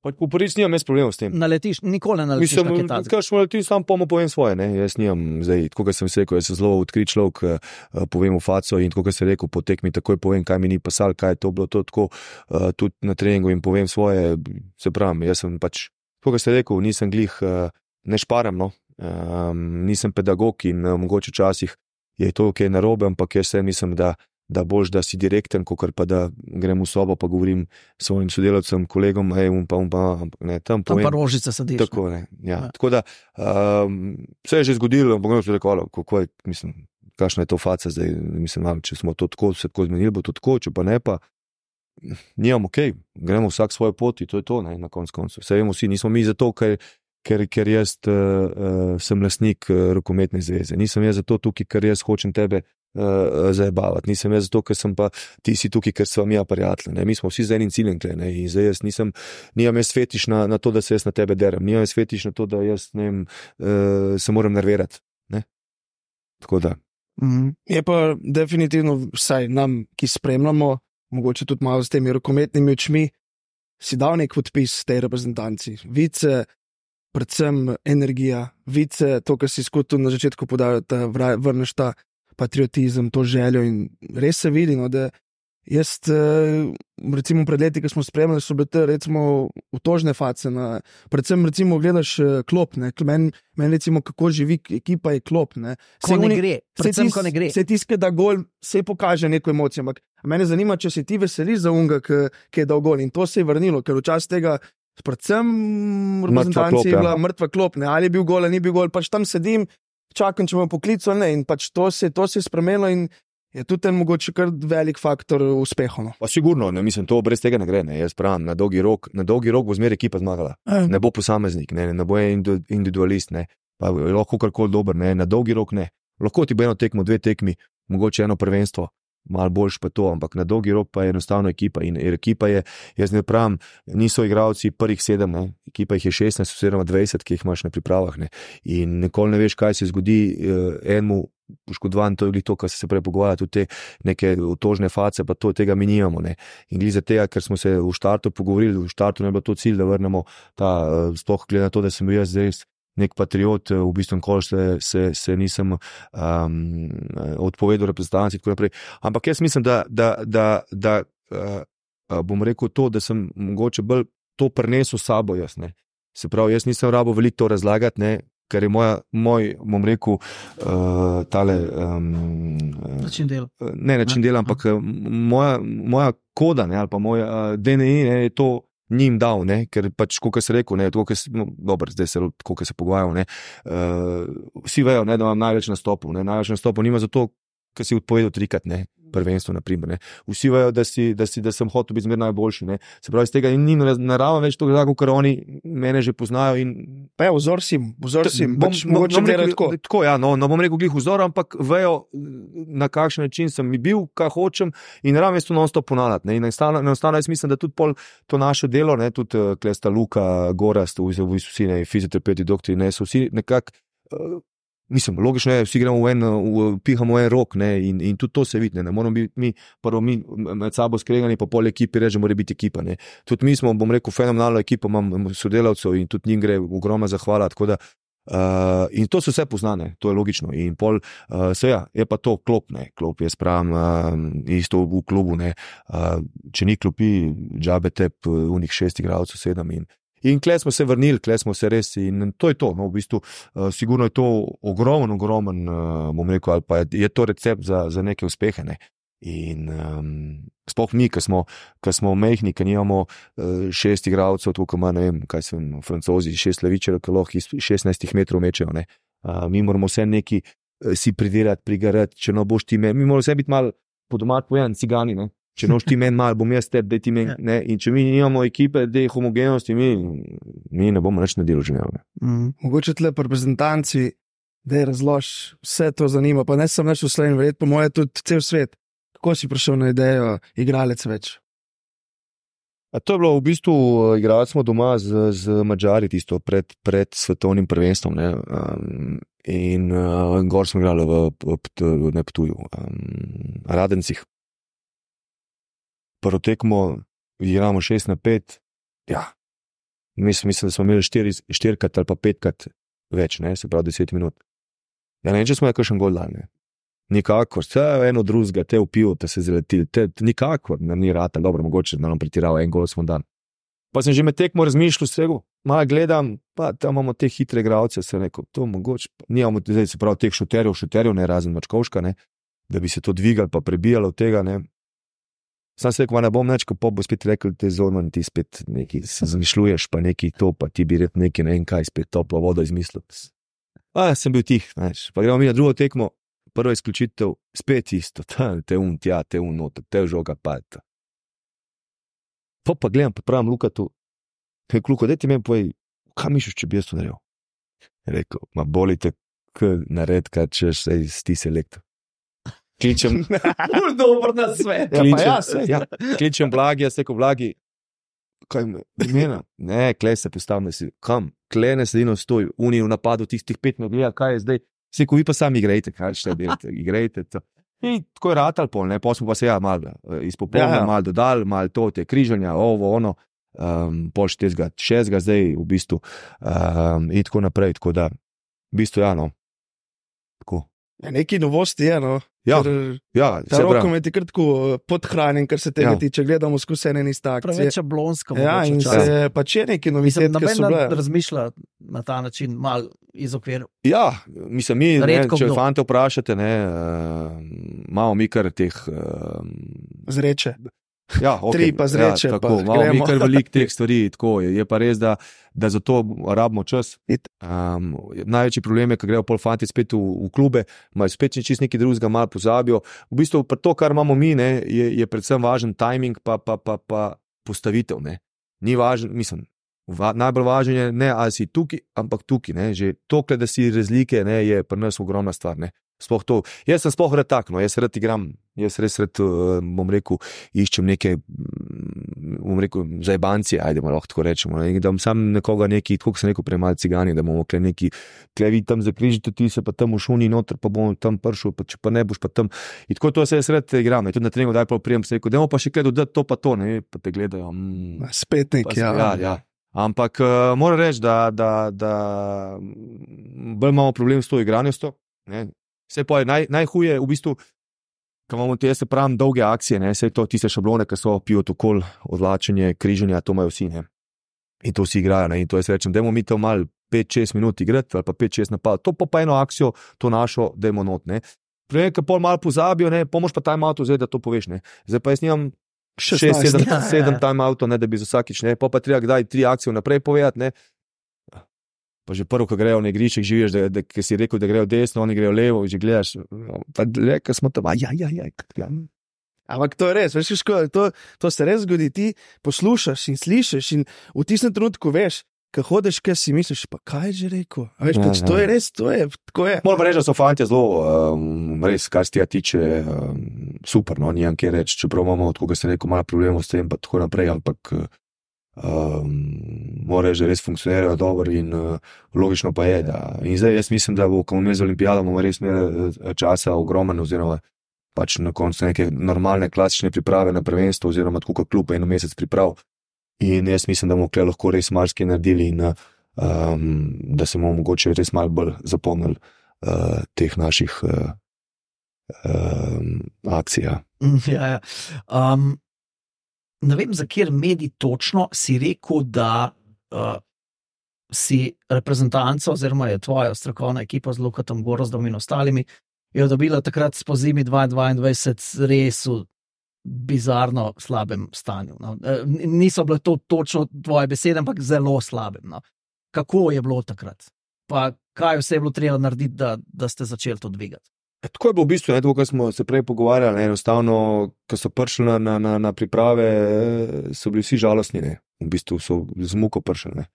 Po prvič nimam jaz problemov s tem. Naletiš, nikoli ne naletiš Mislim, na kaj takega. Mislim, sam pa mu povem svoje, ne, jaz nimam zdaj, tako kot sem se rekel, jaz sem zelo odkrit človek, uh, povem v faco in tako kot sem rekel, po tekmi takoj povem, kaj mi ni pasal, kaj je to bilo, to tako, uh, tudi na treningu in povem svoje, se pravim, jaz sem pač, tako kot sem rekel, nisem glih, uh, ne šparam, no, um, nisem pedagog in uh, mogoče včasih je to kaj narobe, ampak jaz sem mislim, da da boš, da si direkten, kakor pa da grem v sobo, pa govorim svojim sodelavcem, kolegom, ej, um pa, um pa, ne, tam povem. Tam pa rožice sadiš. Tako, ne, ja. ja. Tako da, um, vse je že zgodilo, ampak ne so rekli, kako je, mislim, kakšna je to faca zdaj, mislim, če smo to tako, se tako zmenili, bo to tako, če pa ne, pa nijam, okej, okay, gremo vsak svoje poti, to je to, ne, na konc koncu. Vse vemo vsi, nismo mi zato, ker, ker, ker jaz uh, uh, sem lastnik uh, rokometne zveze. Nisem jaz zato tukaj, ker jaz hočem tebe Uh, zajebavati. Nisem jaz zato, ker sem pa ti si tukaj, ker sva mi prijatelji. Mi smo vsi z enim ciljem, ne? In zdaj jaz nisem, nimam jaz fetiš na, na to, da se jaz na tebe derem. Nimam jaz fetiš na to, da jaz ne vem, uh, se moram nervirati. Ne? Tako da. Mm. Je pa definitivno vsaj nam, ki spremljamo, mogoče tudi malo s temi rokometnimi očmi, si dal nek podpis tej reprezentanci. Vice, predvsem energija, vice, to, kar si skutil na začetku podal, da vrneš ta patriotizem, to željo in res se vidi, no, da Jaz, recimo pred leti, ko smo spremljali, so bile te recimo utožne face, na, predvsem recimo gledaš klop, ne, meni men recimo kako živi ekipa je klop, ne. Ko ne gre, predvsem ko ne gre. Se tiske, da gol se pokaže neko emocijo, ampak mene zanima, če se ti veseliš za unga, ki je dal gol in to se je vrnilo, ker včasih tega predvsem reprezentanci je bila mrtva klop, ne, ali je bil gol, ali ni bil gol, pač tam sedim, čakam, če me poklical, ne, in pač to se, to se je spremenilo in je tudi en mogoče kar velik faktor uspeha. No. Pa sigurno, ne, mislim, to brez tega ne gre, ne, jaz pravim, na dolgi rok, na dolgi rok bo zmeraj ekipa zmagala, e. Ne bo posameznik, ne, ne bo individualist, ne, pa lahko karkoli dober, ne, na dolgi rok ne, lahko ti bo eno tekmo, dve tekmi, mogoče eno prvenstvo, malo boljš pa to, ampak na dolgi rok pa je enostavno ekipa in ekipa je, jaz ne pravim, niso igralci prvih sedem, ne, ekipa jih je šestnajst oziroma dvajset, ki jih imaš na pripravah, ne, in nikoli ne veš, kaj se zgodi eh, enemu poškodovan, to je glih to, kar se prej pogovarja, tudi te neke utožne face, pa to tega mi nimamo, ne, in glih za tega, ker smo se v štartu pogovorili, v štartu ne je bilo to cilj, da vrnemo ta, sploh glede na to, da sem bil jaz zdaj nek patriot, v bistvu nikoli se, se, se nisem um, odpovedal reprezentanci in tako naprej. Ampak jaz mislim, da, da, da, da uh, bom rekel to, da sem mogoče bolj to prinesel s sabo jaz, ne. Se pravi, jaz nisem rabo veliko to razlagati, ne, ker je moja, moj, bom rekel, uh, tale um, način dela. Ne način dela, ampak moja, moja koda, ne, ali pa moj uh, D N I, ne, je to njim dal, ne, ker pač, kot se rekel, ne, tako, no, dobro, zdaj se, tako se pogajamo, ne, uh, vsi vejo, ne, da imam največ nastopov, ne, največ nastopov nima zato, ker si odpovedal trikrat, ne, prvenstvo, naprimer, ne, vsi vejo, da si, da si, da sem hotel biti zmer najboljši, ne, se pravi, iz tega ni narava več to, ker oni mene že poznajo in... Pa je, vzor si, vzor si, bom, pač, bom, bom rekel, tako. Tako, ja, no, no, bom rekel glih vzor, ampak vejo, na kakšen način sem mi bil, kaj hočem in naravno je to non-stop ponavljati, ne, in enostavno jaz mislim, da tudi pol to naše delo, ne, tudi uh, Klesta Luka, Gorast, vsi, ne, fizioterapeuti, doktori, ne, so vsi nekako, uh, mislim, logično je, vsi gremo v en, v, pihamo v en rok, ne, in, in tudi to se vidi, ne, ne moramo biti mi, prvo mi med sabo skregani, pa pol ekipi reče, mora biti ekipa, ne. Tudi mi smo, bom rekel, fenomenalno ekipo, imam sodelavcev in tudi njim gre ogromna zahvala, tako da, uh, in to so vse poznane, to je logično, in pol, uh, se ja, je pa to klop, ne, klop je spravim, uh, isto v klubu, ne, uh, če ni klopi, džabe tep, unih šest igralcev, sedem in In kle smo se vrnili, kle smo se res in to je to, no, v bistvu, uh, sigurno je to ogromen, ogromen, uh, bom rekel, ali pa je, je to recept za, za neke uspehe, ne. In um, sploh mi, ki smo, ki smo mehni, ki nimamo uh, šest igralcev, tukaj ima, ne vem, kaj sem, Francozi, šest levičarjev, ki lahko iz šestnajst metrov mečejo, ne. Uh, mi moramo vse neki uh, si pridirati, prigarati, če no boš ti me, mi moramo vse biti malo po domač povedan, cigani, ne. Če noš ti men mal, bom jaz teb, daj ti men, ne, in če mi nimamo ekipe, dej homogenosti, mi, mi ne bomo nič naredili že ne. Mm. Mogoče tle reprezentanci, dej razlož, vse to zanima, pa ne sem več v Sloveniji, verjetno po moje tudi cel svet. Kako si prišel na idejo igralec več? A to je bilo v bistvu, igrali smo doma z, z Madžari tisto pred, pred svetovnim prvenstvom, ne, um, in uh, gor smo igrali v, v, v Neptuju, um, Radencih. Prvo tekmo igramo šest na pet, ja, mislim, mislim, da smo imeli štiri, štirikrat ali pa petkrat več, ne, se pravi deset minut. Ja, ne vem, če smo je kakšen gol dal, ne. Nikakor, vse eno drugega, te v pivo, te se zaletili, te nikakor, ne, ni rata, dobro, mogoče, da nam pretirava, en gol smo dan. Pa sem že med tekmo razmišljal vsega, malo gledam, pa tam imamo te hitre igralce, se rekel, to mogoče, nijamo, zdaj se pravi teh šuterjev, šuterjev, ne, razen Mačkovška, ne, da bi se to dvigali pa prebijalo od tega, ne. Sam se rekel, ne bom neč, ko pa bo spet rekel, te Zorman, ti spet neki se zamišljuješ, pa neki to, pa ti bi red neki, ne vem kaj, spet toplo vodo izmislil. A, sem bil tih, neš, pa gremo mi na drugo tekmo, prva izključitev, spet isto, ta, te un tja, te un noter, te žoga padta. Pa pa gledam, pa pravim Lukatu, hej, Luko, daj ti meni povej, kaj mišliš, če bi jaz to naredil? Rekel, ma bolite, k nared, kaj češ, sej, sti selektor. Kličem, dobro na svet. Kličem, ja, ja, ja, kličem Blagi, jaz rekel Blagi, kaj me, imena? Ne, kle se postavim, si, kam? Kle ne sedino stoj, Unij v napadu, tistih pet me gleda, kaj je zdaj? Seko, vi pa sami igrajte, kaj še delate, igrajte to. In tako je ratal pol, ne, pa smo pa se ja malo izpopolnili, ja, ja. malo dodali, malo to, te križanja, ovo, ono, um, pol štezga, šestga zdaj v bistvu, um, in tako naprej, tako da, v bistvu, ja, no, tako. Ja, neki novosti je, no. Ja, Ker ja, ta rokomet je kratko podhranjen, kar se tega Ja. tiče. Gledamo skozi ene in iste akcije. Preveč šablonsko. Ja, mogoče in včasih. se pač je neki novitet, Mislim, ki so noben bile. razmišlja na ta način, malo iz okvira. Ja, mislim, mi, ne, Redko če kdo. fante vprašate, ne, uh, imamo mi kar teh. Uh, Zreče. ja, okay, Tri pa zreče, Ja, pa tako, imamo mi gremo. kar veliko teh stvari. Tako, je, je pa res, da, da za to rabimo čas. It. Um, največji problem je, ko grejo pol fanti spet v, v klube, imajo spet čist nekaj drugega, malo pozabijo. V bistvu pa to, kar imamo mi, ne, je, je predvsem važen timing, pa, pa, pa, pa postavitev. Ne. Ni važen, mislim. Va, najbolj važno je, ne ali si tukaj, ampak tukaj. Ne. Že to, da si razlike, ne, je pri nas ogromna stvar. Ne. Sploh to. Jaz sem sploh rad tak, no, jaz rad igram, jaz res rad, bom rekel, iščem neke, bom rekel, zajbancije, ajdemo lahko tako rečemo. Ne. Da bom sam nekoga neki, tako kot sem rekel, prej malo cigani, da bomo kle neki, kle vi tam zakrižite, ti se pa tam v šuni noter, pa bomo tam pršel, pa če pa ne boš pa tam. In tako to se jaz rad igram. In tudi na treningu daj pa prijem, se rekel, dajmo pa še kaj dodati to pa to, ne, pa te gledajo. Mm, Spet nek, pa, ja. ja, ja. Ampak uh, moram reči, da, da, da bolj imamo problem s to igranostjo. Vse pa je naj, najhuje, v bistvu, ko imamo te, se pravim, dolge akcije, ne, vse to tiste šablone, ki so pivot okol, odlačenje, križanje, to imajo vsi, ne. In to vsi igrajo, ne, in to jaz rečem, dajmo mi to malo pet šest minut igrati, ali pa pet šest napad, to pa pa eno akcijo, to našo, dajmo not, ne. Prej, ko pol malo pozabijo, ne, pomož pa time out vzeti, da to poveš, ne. Zdaj pa jaz nimam šest sedem ja, ja, ja. time outov, ne, da bi za vsakič, ne, pa pa treba kdaj tri akcije naprej povedati, ne. Pa že prvo, ko grejo na igrišček, živiš, da, da, da si rekel, da grejo desno, oni grejo levo, že gledaš, pa reka smo tam, ja, ja, ja, ja. Ampak to je res, veš, škoda, to, to se res zgodi, ti poslušaš in slišiš in v tistem trenutku veš, ko hodiš, kaj si misliš, pa kaj je že rekel. A veš, Ja, pač ja. to je res, to je, tako je. Moram reči, da so fanti zelo, um, res, kar se tega tiče, um, super, no, nijam kje reči, čeprav imamo, tako kot sem rekel, malo problemov s tem, pa tako naprej, ampak um, mora reči, da res funkcionirajo dobro in uh, logično pa je, da, in zdaj jaz mislim, da bo, ko bomo imeli z olimpijado, bomo res imeli uh, časa ogromen, oziroma pač na koncu neke normalne, klasične priprave na prvenstvo, oziroma tako kot klub eno mesec priprav. In jaz mislim, da bomo tukaj lahko res marsikaj naredili in um, da se bomo mogoče res malo bolj zapomnili uh, teh naših uh, um, akcij. Ja. Ja, ja. Um, ne vem, za kjer medij točno si rekel, da uh, si reprezentanca, oziroma je tvoja strokovna ekipa z Lukatom Gorozdom in ostalimi, je dobila takrat po zimi dvajset dvajset res v bizarno slabem stanju. No. Niso bile to točno tvoje besede, ampak zelo slabem. No. Kako je bilo takrat? Pa kaj vse je bilo treba narediti, da, da ste začeli to dvigati? Tako je bilo v bistvu, ne, tako, kot smo se prej pogovarjali, ne, enostavno, ko so prišli na, na, na, na priprave, so bili vsi žalostni, ne. V bistvu so z muko prišli. Ne.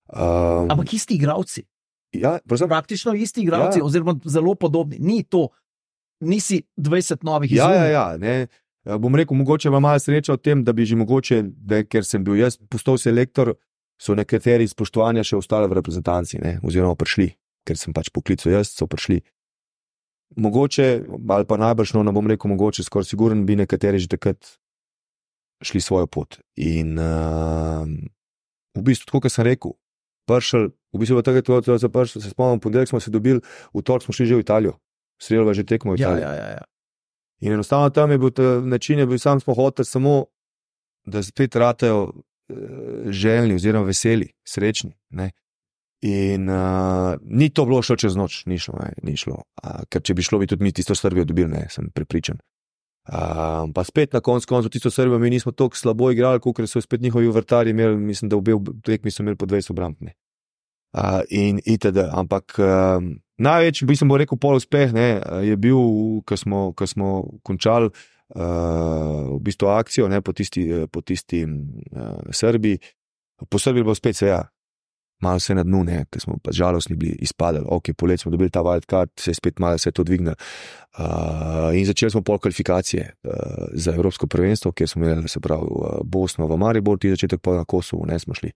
Um, Ampak isti igravci. Ja, prosim? Praktično isti igravci, Ja. oziroma zelo podobni. Ni to, nisi dvajset novih Ja, izumov. ja, ja, ne. Ja, bom rekel, mogoče ima malo sreča v tem, da bi že mogoče, da, ker sem bil jaz postal selektor, so nekateri spoštovanja še ostali v reprezentanci, ne, oziroma prišli, ker sem pač poklical jaz, so prišli. Mogoče, ali pa najbrž, no, ne bom rekel mogoče, skoraj siguren bi nekateri že takrat šli svojo pot. In uh, v bistvu, tako kot sem rekel, prišel, v bistvu takrat, ko se prišel, se spomnim, ponedeljek smo se dobili, v torek smo šli že v Italijo, sredi že tekmo v Ja, Italijo. ja, ja, ja. In enostavno tam je bil ta način, je bil sam smo hoteli samo, da spet ratajo uh, željni oziroma veseli, srečni. Ne? In uh, ni to bilo šlo čez noč, ni šlo, ne, ni šlo. Uh, ker če bi šlo, bi tudi mi tisto Srbijo dobili, ne, sem prepričan. Uh, pa spet na koncu koncu tisto Srbijo mi nismo tako slabo igrali, kot so spet njihovi vrtarji imeli, mislim, da obe tekmi so imeli po dvajset obramb. Uh, in itd. Ampak uh, največji, bi sem bo rekel, pol uspeh ne, je bil, ko smo, ko smo končali uh, v bistvu akcijo ne, po tisti, po tisti uh, Srbiji. Po Srbiji je bilo spet se ja, malo se na dnu, ker smo pa žalostni bili, izpadali. Ok, polet smo dobili ta wildcard, se je spet malo se to dvignilo. Uh, in začeli smo pol kvalifikacije uh, za Evropsko prvenstvo, kjer smo imeli, se pravi, uh, Bosno v Mariboru, ti začetek pa na Kosovu, ne smo šli.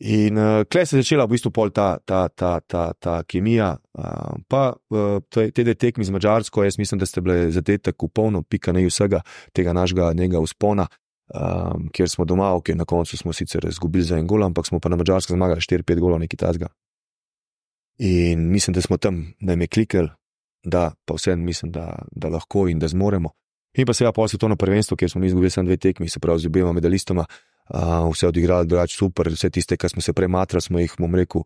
In uh, klej se je začela v bistvu pol ta, ta, ta, ta, ta kemija, uh, pa uh, te dve tekmi z Madžarsko, jaz mislim, da ste bili zadetek v polno, pika ne vsega tega našega njega vzpona, um, kjer smo doma, ok, na koncu smo sicer izgubili za en gol, ampak smo pa na Madžarsko zmagali štiri pet golov, nekaj tazga. In mislim, da smo tam, da jim je klikali, da pa vseeno mislim, da, da lahko in da zmoremo. In pa seveda pol svetovno prvenstvo, kjer smo mi izgubili samo dve tekmi, se pravi z obema medalistoma, uh, vse odigrali drugače super, vse tiste, ki smo se prematrali, smo jih, bom rekel,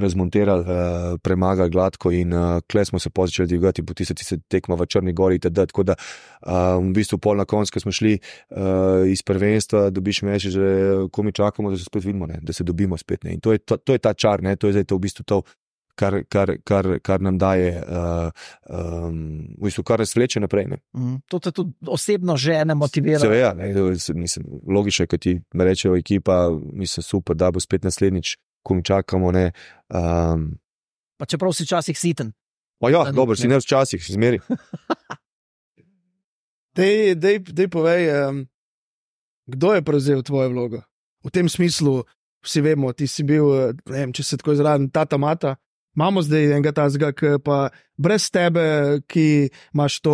razmonterali, uh, premagali gladko in uh, kle smo se začeli dvigati po tiste, tiste tekma v Črni gori itd. Tako da uh, v bistvu pol na koncu, ko smo šli uh, iz prvenstva, dobiš meči, že ko mi čakamo, da se spet vidimo, ne? Da se dobimo spet. Ne? In to je, to, to je ta čar, ne? To je zdaj to v bistvu to, Kar, kar, kar, kar nam daje, uh, um, v bistvu, kar nas vleče naprej. Mm, to te tudi osebno žene motivira. Seveda, ne, mislim, logično je, ko ti rečejo ekipa, mislim, super, da bo spet naslednjič, ko mi čakamo. Ne, um, pa čeprav si včasih siten. Pa ja, dobro, si ne včasih, zmeri. Dej, dej, dej povej, um, kdo je prevzel tvojo vlogo? V tem smislu, vsi vemo, ti si bil, ne vem, če se tako izrazim, tata mata. Imamo zdaj enega tazga, ki pa brez tebe, ki imaš to,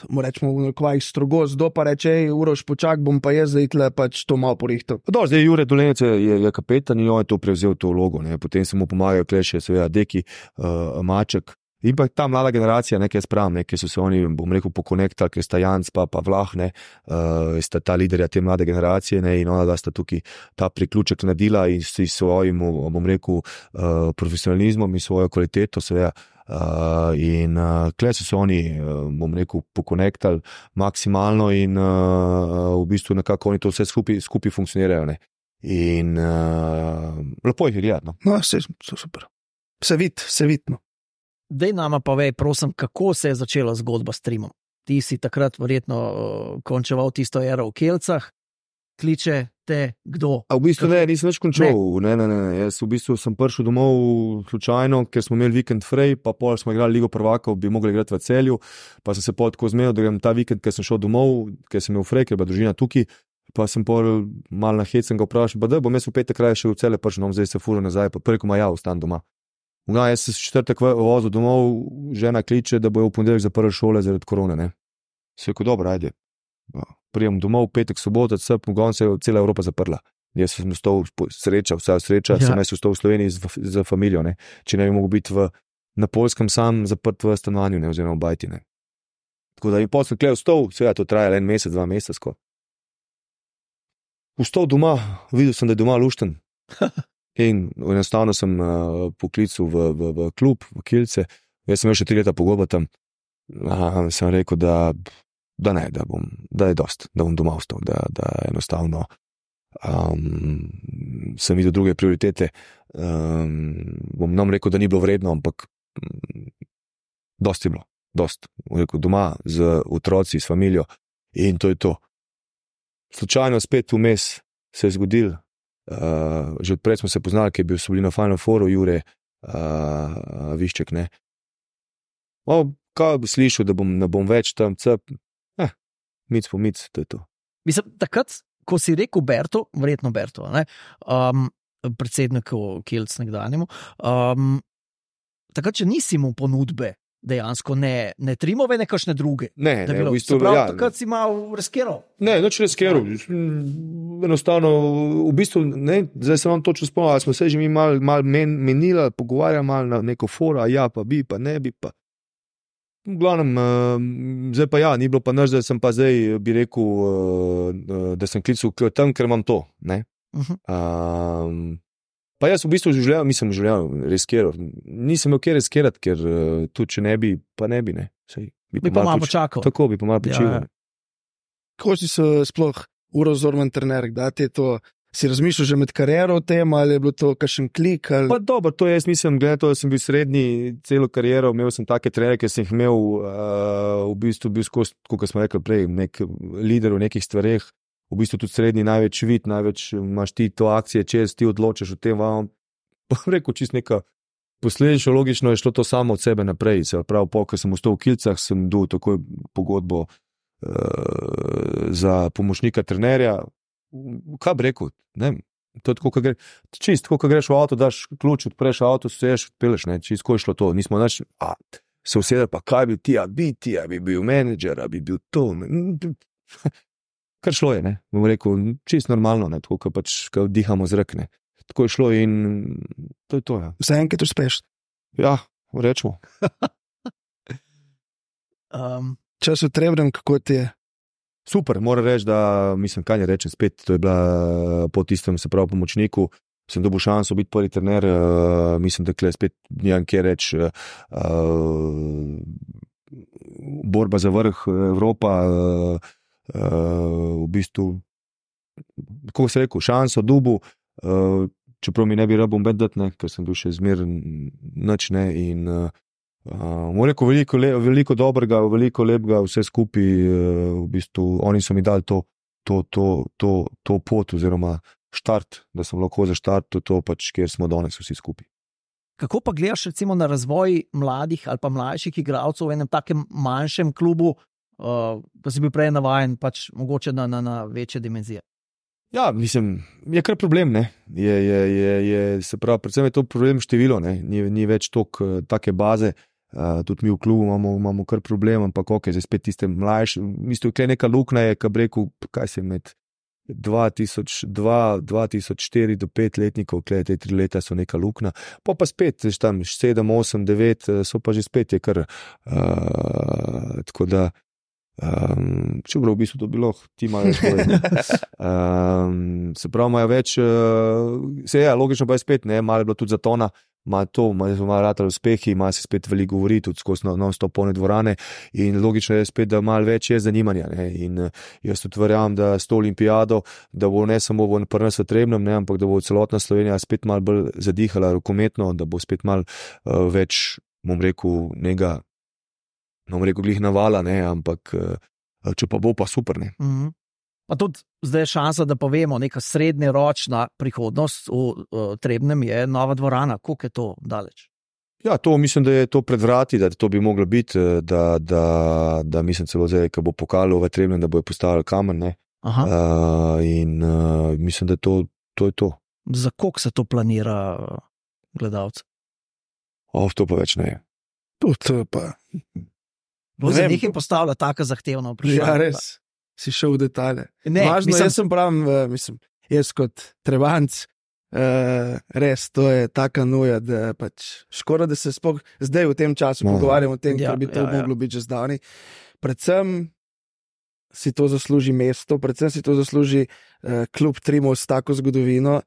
rečemo, v nekvajih strogost, do pa reče, ej, Uroš, počak, bom pa jaz zdaj tle pač to malo porihtal. Do, zdaj Jure Dolenec je, je kapetan in on je to prevzel to vlogo, ne. Potem se mu pomagajo kleše, seveda Deki, uh, Maček. In pa ta mlada generacija, nekaj spravim, nekaj so se oni, bom rekel, pokonektali, ker sta Janc pa, pa Vlah, ne, uh, sta ta liderja te mlade generacije, ne, in ona da sta tukaj ta priključek naredila in s svojim, bom rekel, uh, profesionalizmom in svojo kvaliteto, seveda, uh, in uh, kle so se oni, uh, bom rekel, pokonektali maksimalno in uh, v bistvu nekako oni to vse skupaj, skupaj funkcionirajo, ne. In uh, lepo jih je gledati, no. No, se, so super. Se vid, se vidno. Dej nama pa vej, prosim, kako se je začela zgodba s Trimom. Ti si takrat verjetno uh, končeval tisto ero v Kelcah, kliče te kdo? A v bistvu ne, nisem več končal, ne, ne, ne, ne. Jaz v bistvu sem prišel domov slučajno, ker smo imeli vikend frej, pa pol smo igrali Ligo prvakov, bi mogli igrati v Celju, pa sem se pol tako zmenil, da grem ta vikend, ker sem šel domov, ker sem imel frej, ker je bila družina tukaj, pa sem pol mal na hecen ga vprašal, pa da bom jaz v petek raje še v Celje prišel, no, zdaj se furo nazaj, pa preko ma ja, ostan doma. No, jaz sem četrtek vozil domov, žena kliče, da bojo v ponedeljek zaprli šole zaradi korone, ne. Se je rekel, dobro, ajde. Prijem domov, petek, sobota, cep, mogon se je cela Evropa zaprla. Jaz sem ostal sreča, vsa sreča, ja. Sem jaz ostal v Sloveniji z, z familijo, ne. Če ne bi mogel biti v, na Poljskem sam zaprt v stanovanju, ne, oziroma v bajti, ne. Tako da in potem sem kle vstal, seveda to traja en mesec, dva meseca skoro. Vstal doma, videl sem, da je doma lušten. In enostavno sem uh, poklical v, v, v klub, v Kielce. Jaz sem imel še tri leta pogodbe tam. Uh, sem rekel, da, da ne, da, bom, da je dost, da bom doma ostal, da, da enostavno um, sem videl druge prioritete. Um, bom nam rekel, da ni bilo vredno, ampak um, dost je bilo, dost. Rekel, doma z otroci, s familijo in to je to. Slučajno spet vmes se je zgodil. Uh, že odprej smo se poznali, ki je bil so bili na Final Fouru, Jure uh, Višček, ne. O, kaj bi slišal, da bom, ne bom več tam cep, eh, mic po mic, to je to. Mislim, takrat, ko si rekel Berto, verjetno Berto, ne, um, predsedniku Kielc nekdanjemu, um, takrat, če nisi mu ponudbe, dejansko ne, ne Trimove, ne kakšne druge. Ne, ne, v bistvu, prav, ja. Takrat si malo reskiral. Ne, noč reskiral. Enostavno, v bistvu, ne, zdaj sem vam točno spomnil, ali smo se že mi malo mal men, menili, pogovarjali malo na neko fora, ja, pa bi, pa ne bi, pa. V glavnem, uh, zdaj pa ja, ni bilo pa nič, da sem pa zdaj, bi rekel, uh, da sem klical tam, ker imam to, ne. Uh-huh. Um, Pa jaz v bistvu življenju, mislim, življenju reskiral. Nisem imel kje reskirati, ker uh, tudi če ne bi, pa ne bi, ne. Sej, bi, bi pa malo počakal. Tako, bi pa malo počil. Ja. Kako si se sploh Uroš Zorman trener, da ti je to, si razmišljal že med kariero o tem, ali je bilo to kakšen klik? Ali... Pa dobro, to jaz mislim, glede to, da sem bil srednji celo kariero, imel sem take trenere, ker sem jih imel uh, v bistvu bil skozi, kot smo rekli prej, nek lider v nekih stvareh. V bistvu tudi srednji največ vid, največ imaš ti to akcije, čez ti odločaš o tem, vam pa rekel, čist neka posledično logično je šlo to samo od sebe naprej. Se pravi, po, ko sem ostal v Kielcah, sem dobil takoj pogodbo uh, za pomočnika trenerja. Kaj bi rekel? Ne, to je tako, ko gre, čist, tako, ko greš v avto, daš ključ, odpreš avto, seješ, odpeleš, ne, čist, ko je šlo to. Nismo naš, a, se usedel, pa kaj bi ti, a bi ti, a bi bil menedžer, a bi bil to, ne. Kar šlo je, ne, bom rekel, čist normalno, ne, tako, ko pač, ko dihamo zrak, ne, tako je šlo in to je to, ja. Vse enkrat uspeš. Ja, rečemo. Um, Čas v Trebnem, kako ti je? Super, moram reči, da mislim, kaj ne rečem spet, to je bila po tistem, se pravi, pomočniku, sem dobil šanso biti prvi trener, uh, mislim, da kle spet nijem kje reči, uh, borba za vrh Evropa, uh, uh, v bistvu, kako se rekel, šanso dobil, uh, čeprav mi ne bi rabom bedati, ker sem bil še zmeren nič, ne, in uh, Uh, rekel, veliko, le, veliko dobrega, veliko lepega, vse skupaj, uh, v bistvu, oni so mi dali to, to, to, to, to pot, oziroma štart, da sem lahko za štart, to, to pač, kjer smo danes vsi skupaj. Kako pa gledaš recimo na razvoj mladih ali pa mlajših igralcev v enem takem manjšem klubu, uh, da si bil prej navajen, pač mogoče na, na, na večje dimenzije? Ja, mislim, je kar problem, ne. Je, je, je, je, se pravi, predvsem je to problem število, ne. Ni, ni več tok, take baze. Uh, tudi mi v klubu imamo, imamo kar problem, ampak ok, zdaj spet tiste mlajše, mislim, tukaj neka luknja je, kaj bi rekel, kaj se med dva tisoč dva, dva tisoč štiri do pet letnikov, kaj te tri leta so neka luknja, pa pa spet, zdaj tam sedem, osem, devet, so pa že spet je kar, uh, tako da, um, čeprav v bistvu to bilo, ti imajo svoje, um, se pravi, imajo več, uh, se je, logično pa je spet, ne, malo je bilo tudi zatona, ima to, ima rata uspehi, ima se spet veliko govori, tudi skozi non-stop polne dvorane in logično je spet, da malo več je zanimanja, ne, in jaz tudi verjamem, da s to olimpijado, da bo ne samo v pri nas v Trebnjem, ne, ampak da bo celotna Slovenija spet malo bolj zadihala rokometno, da bo spet malo uh, več, bom rekel, njega, bom rekel, glih navala, ne, ampak uh, če pa bo, pa super, ne. Mm-hmm. Pa tudi zdaj je šansa, da povemo, neka srednjeročna prihodnost v uh, Trebnjem je nova dvorana. Koliko je to daleč? Ja, to mislim, da je to pred vrati, da to bi moglo biti, da, da, da mislim celo zdaj, ko bo pokalo v Trebnjem, da bo postavili kamen, ne. Aha. Uh, in uh, mislim, da to, to je to. Za koliko se to planira gledalce? O, to pa več ne je. To pa. Bo za nekaj postavlja taka zahtevna vprašanja. Ja, res. Si šel v detalje. Ne, Važno, mislim... jaz sem pravim, mislim, jaz kot Trebanc, uh, res, to je taka nuja, da pač škoda, da se spok, zdaj v tem času no. pogovarjamo o tem, ja, ker bi to ja, moglo ja. biti že zdavni. Predvsem si to zasluži mesto, predvsem si to zasluži uh, klub Trimo s tako zgodovino,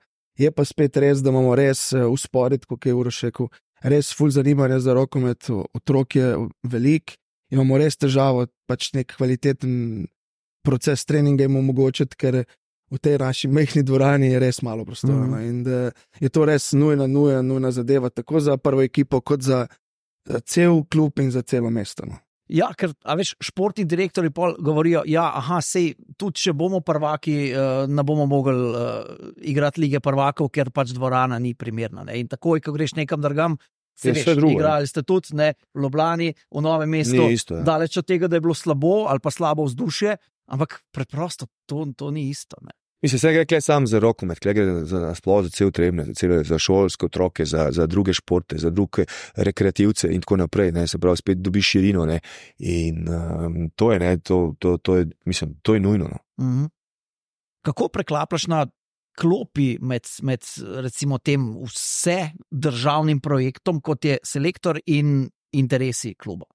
je pa spet res, da imamo res uh, uspored, kot je Uroš rekel, res ful zanimanja za rokomet, otrok je velik, imamo res težavo, pač nek kvaliteten proces treninga jim omogočiti, ker v tej naši mehni dvorani je res malo prostora. Mm. In da je to res nujna, nujna, nujna zadeva, tako za prvo ekipo, kot za, za cel klub in za celo mesto. No. Ja, ker, a veš, športni direktori pol govorijo, ja, aha, sej, tudi če bomo prvaki, uh, ne bomo mogli uh, igrati lige prvakov, ker pač dvorana ni primerna. Ne? In takoj, ko greš nekam drugam, se veš, igrali ste tudi, ne, v Ljubljani, v Novem mestu, isto, ja. Daleč od tega, da je bilo slabo ali pa slabo vzdušje, ampak preprosto to, to ni isto. Ne. Mislim, se gre sam za rokomet, gre za sploh za cel Trebnje, za, cel, za šolske otroke, za, za druge športe, za druge rekreativce in tako naprej, ne, se pravi, spet dobiš širino, ne, in um, to je, ne, to, to, to je, mislim, to je nujno. No. Mm-hmm. Kako preklaplaš na klopi med, med recimo tem vse državnim projektom, kot je selektor in interesi kluba?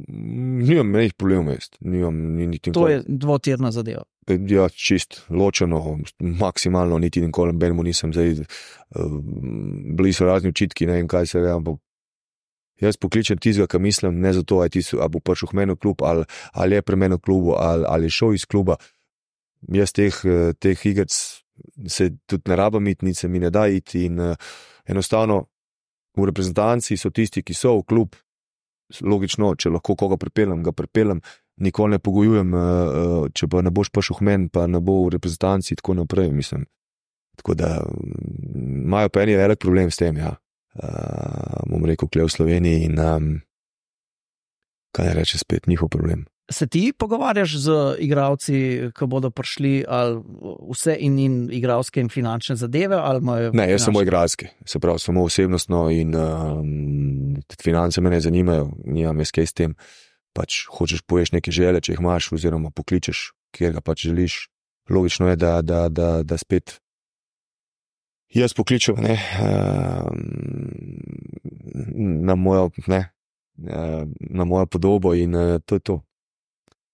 Nimam menih problemov, jaz. Nimam, ni, niti to je dvotirna zadeva. Ja, čist, ločeno, maksimalno, niti nikoli benemu nisem zdaj, uh, bili so razni očitki, ne vem kaj se je, ampak jaz pokličem tizga, ki mislim, ne zato, ali bo prišel v meni klub, ali, ali je pri meni v klubu, ali, ali je šel iz kluba. Jaz teh, teh igrc se tudi ne rabam iti, nič se mi ne da iti in uh, enostavno v reprezentanci so tisti, ki so v klub, logično, če lahko koga pripeljem, ga pripeljem, nikoli ne pogojujem, uh, če pa ne boš prišel v meni, pa ne bo v reprezentanci, tako naprej, mislim. Tako da imajo pa eni velik problem s tem, ja. Uh, bom rekel, kle v Sloveniji in um, kaj ne reče spet, njihov problem. Se ti pogovarjaš z igralci, ki bodo prišli, ali vse in, in igralske in finančne zadeve? Ali ne, jaz finančne? Samo igralske, se pravi, samo osebnostno in um, finance me ne zanimajo, nimam jaz kaj s tem. Pač hočeš poješ neke želje, če jih imaš, oziroma pokličeš, kjer ga pač želiš. Logično je, da, da, da, da spet jaz pokličem, ne, um, na mojo, ne, na mojo podobo in to je to.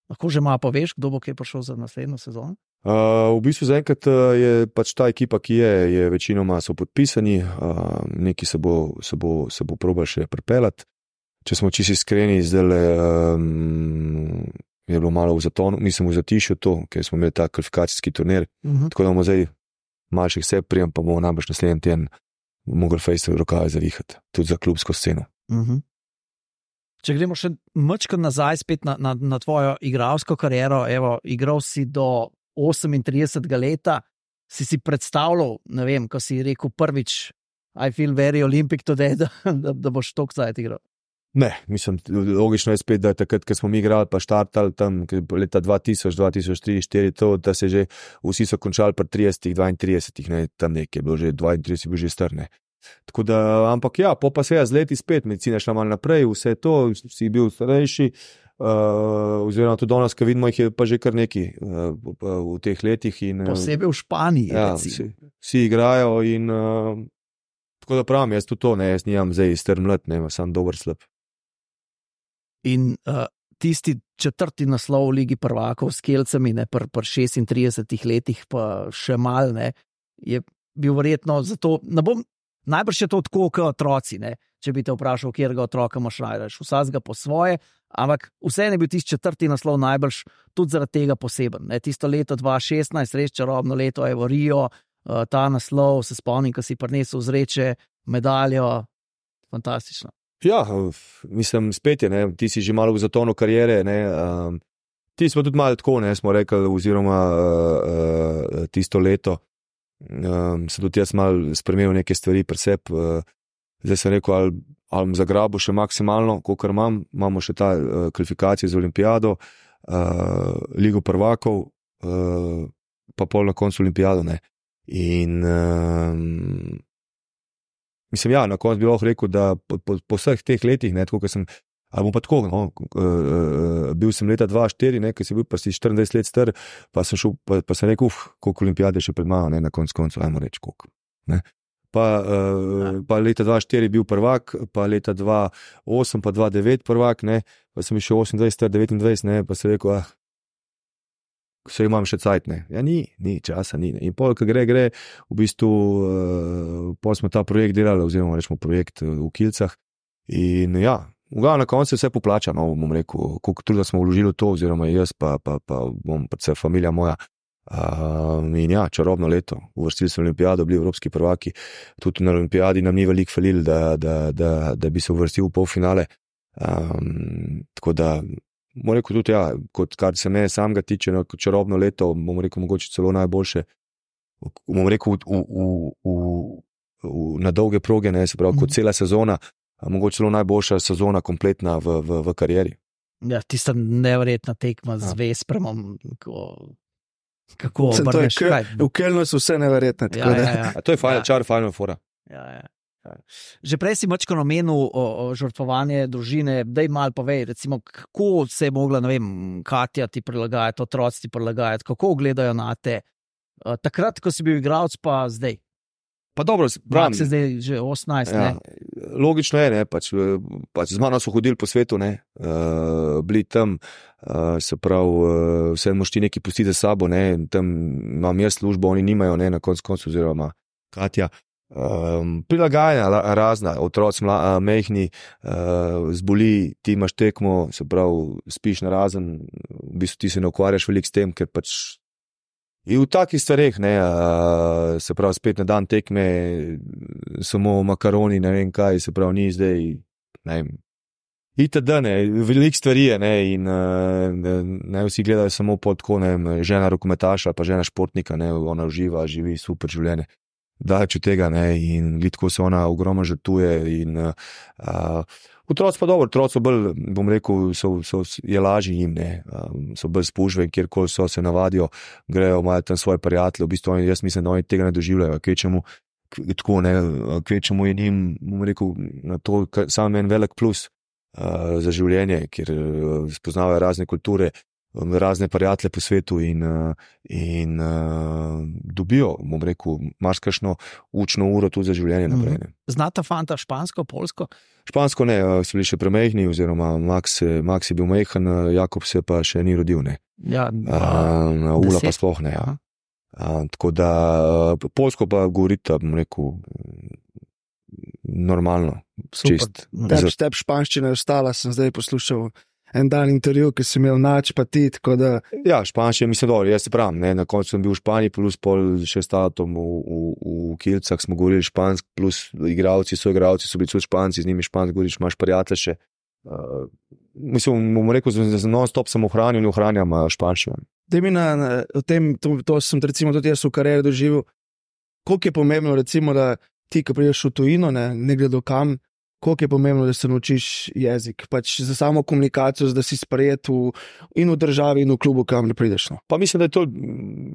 Lahko že malo poveš, kdo bo kaj prišel za naslednjo sezono? Uh, v bistvu zaenkrat je pač ta ekipa, ki je, je večinoma so podpisani, uh, neki se bo, se bo, se bo probal še pripeljati. Če smo čisto iskreni, zdaj um, je bilo malo v zatonu, nisem v zatišju to, ker smo imeli ta kvalifikacijski turnir, uh -huh. tako da bomo zdaj malših se prijem, pa bomo najbrž naslednji teden mogli fejse rokave zavihati, tudi za klubsko sceno. Uh -huh. Če gremo še mačko nazaj spet na, na, na tvojo igralsko kariero, evo, igral si do osemintridesetega leta, si si predstavljal, ne vem, ko si rekel prvič, I feel very Olympic today, da, da, da boš toliko zdaj igral. Ne, mislim, logično je spet, da je takrat, ko smo mi igrali, pa štartali tam leta dva tisoč, dva tisoč tri, štiri, to, da se že vsi so končali pri tridesetih, dvaintridesetih, ne, tam nekaj je bilo že, dvaintrideset je bil že star, ne. Tako da, ampak ja, po pa se je z leti spet, medicina šla malo naprej, vse to, si bil starejši, uh, oziroma tudi danes, ko vidimo, jih je pa že kar neki uh, v teh letih. In, posebej v Španiji, ja, vsi, vsi igrajo in uh, tako da pravim, jaz tudi to, ne, jaz nijam zdaj strm mlad, ne, sam dober slab. In uh, tisti četrti naslov v Ligi prvakov s Kelcami, ne, pri pr šestintridesetih letih, pa še mal, ne, je bil verjetno zato, ne bom, najbrž je to tako, kot otroci, ne, če bi te vprašal, kjerega otroka imaš najraje, vsakega po svoje, ampak vseeno je bil tisti četrti naslov najbrž tudi zaradi tega poseben, ne, tisto leto dva tisoč šestnajst, res čarobno leto, evo Rio, uh, ta naslov, se spomnim, ko si prinesel zreče, medaljo, fantastično. Ja, mislim, spet je, ne, ti si že malo v zatonu karijere, ne, um, ti smo tudi malo tako, ne, smo rekli, oziroma uh, uh, tisto leto, um, se tudi jaz malo spremenil neke stvari pri sebi, uh, zdaj sem rekel, ali, ali zagrabu še maksimalno, kolikor imam, imamo še ta uh, kvalifikacije za olimpijado, uh, Ligo prvakov, uh, pa pol na koncu olimpijado, ne, in um, mislim, ja, na koncu bi lahko rekel, da po, po, po vseh teh letih, ne, tako, sem, ali bom pa tako, no, uh, bil sem leta dva tisoč štiri, ne, ker sem bil pa si štiriindvajset let star, pa sem šel, pa, pa sem rekel, uf, koliko olimpijade še pred mano, ne, na koncu koncu, ajmo reči, koliko, ne. Pa, uh, pa leta dva tisoč štiri bil prvak, pa leta dva tisoč osem, pa dva tisoč devet prvak, ne, pa sem šel osemindvajset, devetindvajset, ne, pa sem rekel, ah, vse imam še cajt, ne. Ja, ni, ni, časa ni, ne. In pol, ko gre, gre, v bistvu, uh, pol smo ta projekt delali, oziroma rečemo projekt uh, v Kilcah in ja, v na koncu vse poplača, no, bom rekel, koliko truda smo vložili v to, oziroma jaz, pa, pa, pa bom, pa vse familija moja. Uh, in ja, čarobno leto, uvrstili smo olimpijado, bili evropski prvaki, tudi na olimpijadi nam ni veliko falil, da, da, da, da bi se uvrstil v polfinale, um, tako da bom rekel tudi, ja, kot kar se me samega tiče, no, čarobno leto, bom rekel, mogoče celo najboljše, bom rekel, v, v, v, v, na dolge proge, ne, se pravi, mm. kot cela sezona, mogoče celo najboljša sezona kompletna v, v, v karieri. Ja, tista neverjetna tekma z Vespremom, ko, kako obrneš, kaj? V Kelnu so vse neverjetne, tako ja, da. Ja, ja. A to je fajn, ja. Čar, fajn fora. Ja, ja. Že prej si mačko namenil o, o žrtvovanje družine, daj malo povej, recimo, kako se je mogla, ne vem, Katja ti prilagajati, otroci ti prilagajati, kako gledajo na te, uh, takrat, ko si bil igralec, pa zdaj. Pa dobro, pravim. Se zdaj že osemnajst, ja, ne? Logično je, ne, pač, pač z mano so hodili po svetu, ne, uh, bili tam, uh, se pravi, uh, vse moš ti nekaj pustiti za sabo, ne, tam imam jaz službo, oni nimajo, ne, na koncu koncu, oziroma Katja. Um, prilagajanja razna, otroci mla, mehni, uh, zboli, ti imaš tekmo, se pravi, spiš na razen, v bistvu ti se ne ukvarjaš veliko s tem, ker pač in v takih stvareh, ne, uh, se pravi, spet na dan tekme, samo makaroni, ne vem kaj, se pravi, ni zdaj, ne vem, itd., ne, veliko stvari je, ne, in uh, ne vsi gledajo samo pod tako, ne vem, žena rokometaša, pa žena športnika, ne, ona uživa, živi super življenje. Daleč od tega, ne, in tako se ona ogromno žrtvuje in uh, otroci pa dobro, otroci so bolj, bom rekel, so, so, je lažje jim, ne, um, so bolj spužve in kjerkoli so, se navadijo, grejo, imajo tam svoje prijatelje, v bistvu jaz mislim, da oni tega ne doživljajo, kvečemu, tako ne, kvečemu je njim, bom rekel, na to sam en velik plus uh, za življenje, ker uh, spoznavajo razne kulture, razne prijatelje po svetu in, in uh, dobijo, bom rekel, marsikšno učno uro tudi za življenje naprej. Ne. Znata fanta špansko, polsko? Špansko ne, so bili še premehni, oziroma Max, Max je bil mehen, Jakob se pa še ni rodil. Ne. Ja, uh, Ula pa sploh ne. Ja. Uh, tako da polsko pa govorita, bom rekel, normalno. Čist. Tep, tep španščina je ostala, sem zdaj poslušal en dan intervju, ki sem imel nač pa ti, tako da... Ja, španščina, mislim, dobro, jaz se pravim, ne, na koncu sem bil v Španiji, plus pol še statom v, v, v Kilcah, smo govorili špansk, plus igravci, so igravci, so bili tudi španci, z njimi špansk govoriš, imaš prijatelje še. Uh, mislim, bom rekel, da non-stop sem ohranil in ohranjam španščino. Daj mi na, na tem, to, to sem recimo tudi jaz v karieri doživel, koliko je pomembno recimo, da ti, ko prideš v tujino, ne, ne gledo kam, koliko je pomembno, da se naučiš jezik, pač za samo komunikacijo, da si sprejet v, in v državi in v klubu, kam ne prideš. No. Pa mislim, da je to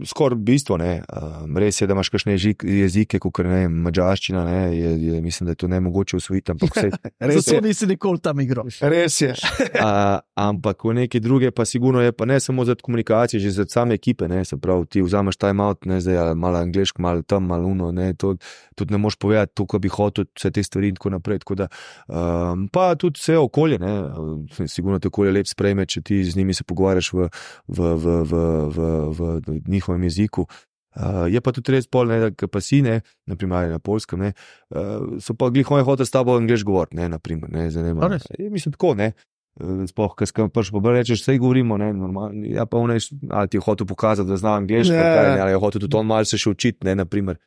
skoraj bistvo, ne. Um, res je, da imaš kakšne jezike, kot ne vem, madžarščina, ne, je, je, mislim, da je to nemogoče usvojiti, ampak vse. Zato nisi nikoli tam igral. Res je. uh, ampak v neke druge pa sigurno je, pa ne samo za komunikacijo, že za same ekipe, ne, se pravi, ti vzameš time out, ne, zdaj malo angleško, malo tam, malo uno, ne, to tudi ne moš povedati to, ko bi hotel, vse te stvari in tako naprej, tako da Um, pa tudi vse okolje, ne, sigurno te okolje lep sprejme, če ti z njimi se pogovarjaš v, v, v, v, v, v, v njihovem jeziku. Uh, je pa tudi res pol, ne, da pa si, ne, naprimer na polskem, ne, uh, so pa glih moje hote s tabo angliš govoriti, ne, naprimer, ne, zanima. Mislim tako, ne, sploh, kaj skam prš pa rečeš, sej govorimo, ne, normalno, ja pa on je, ali ti je hotel pokazati, da zna angliško, yeah. Ali je hotel tudi on malo se še učiti, ne, naprimer.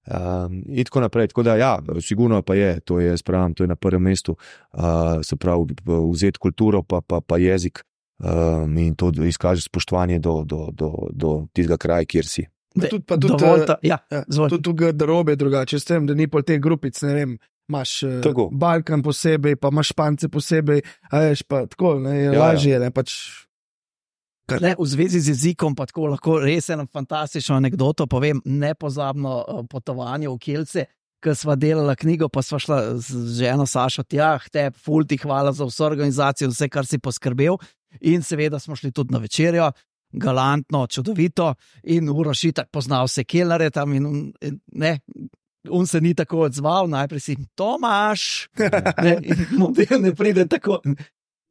Um, in tako naprej, tako da ja, sigurno pa je, to je, spravim, to je na prvem mestu, uh, se pravi, vzeti kulturo pa, pa, pa jezik um, in to izkaže spoštovanje do, do, do, do tistega kraja, kjer si. Pa tudi, pa tudi, ta, ja, ja, tudi garderobe drugače, s tem, da ni pol teh grupic, ne vem, imaš uh, Balkan posebej, pa imaš Špance posebej, a veš, pa tako, ne, je ja, lažje, ja. Ne, pač... Le, v zvezi z jezikom pa tako lahko res eno fantastično anekdoto povem, nepozabno potovanje v Kielce, ko sva delala knjigo, pa sva šla z ženo Sašo tja, te ful ti hvala za vso organizacijo, vse, kar si poskrbel, in seveda smo šli tudi na večerjo, galantno, čudovito, in Uroš itak poznal vse kelnere tam in, in ne, on se ni tako odzval, najprej si Tomaš, ne, in model ne pride tako,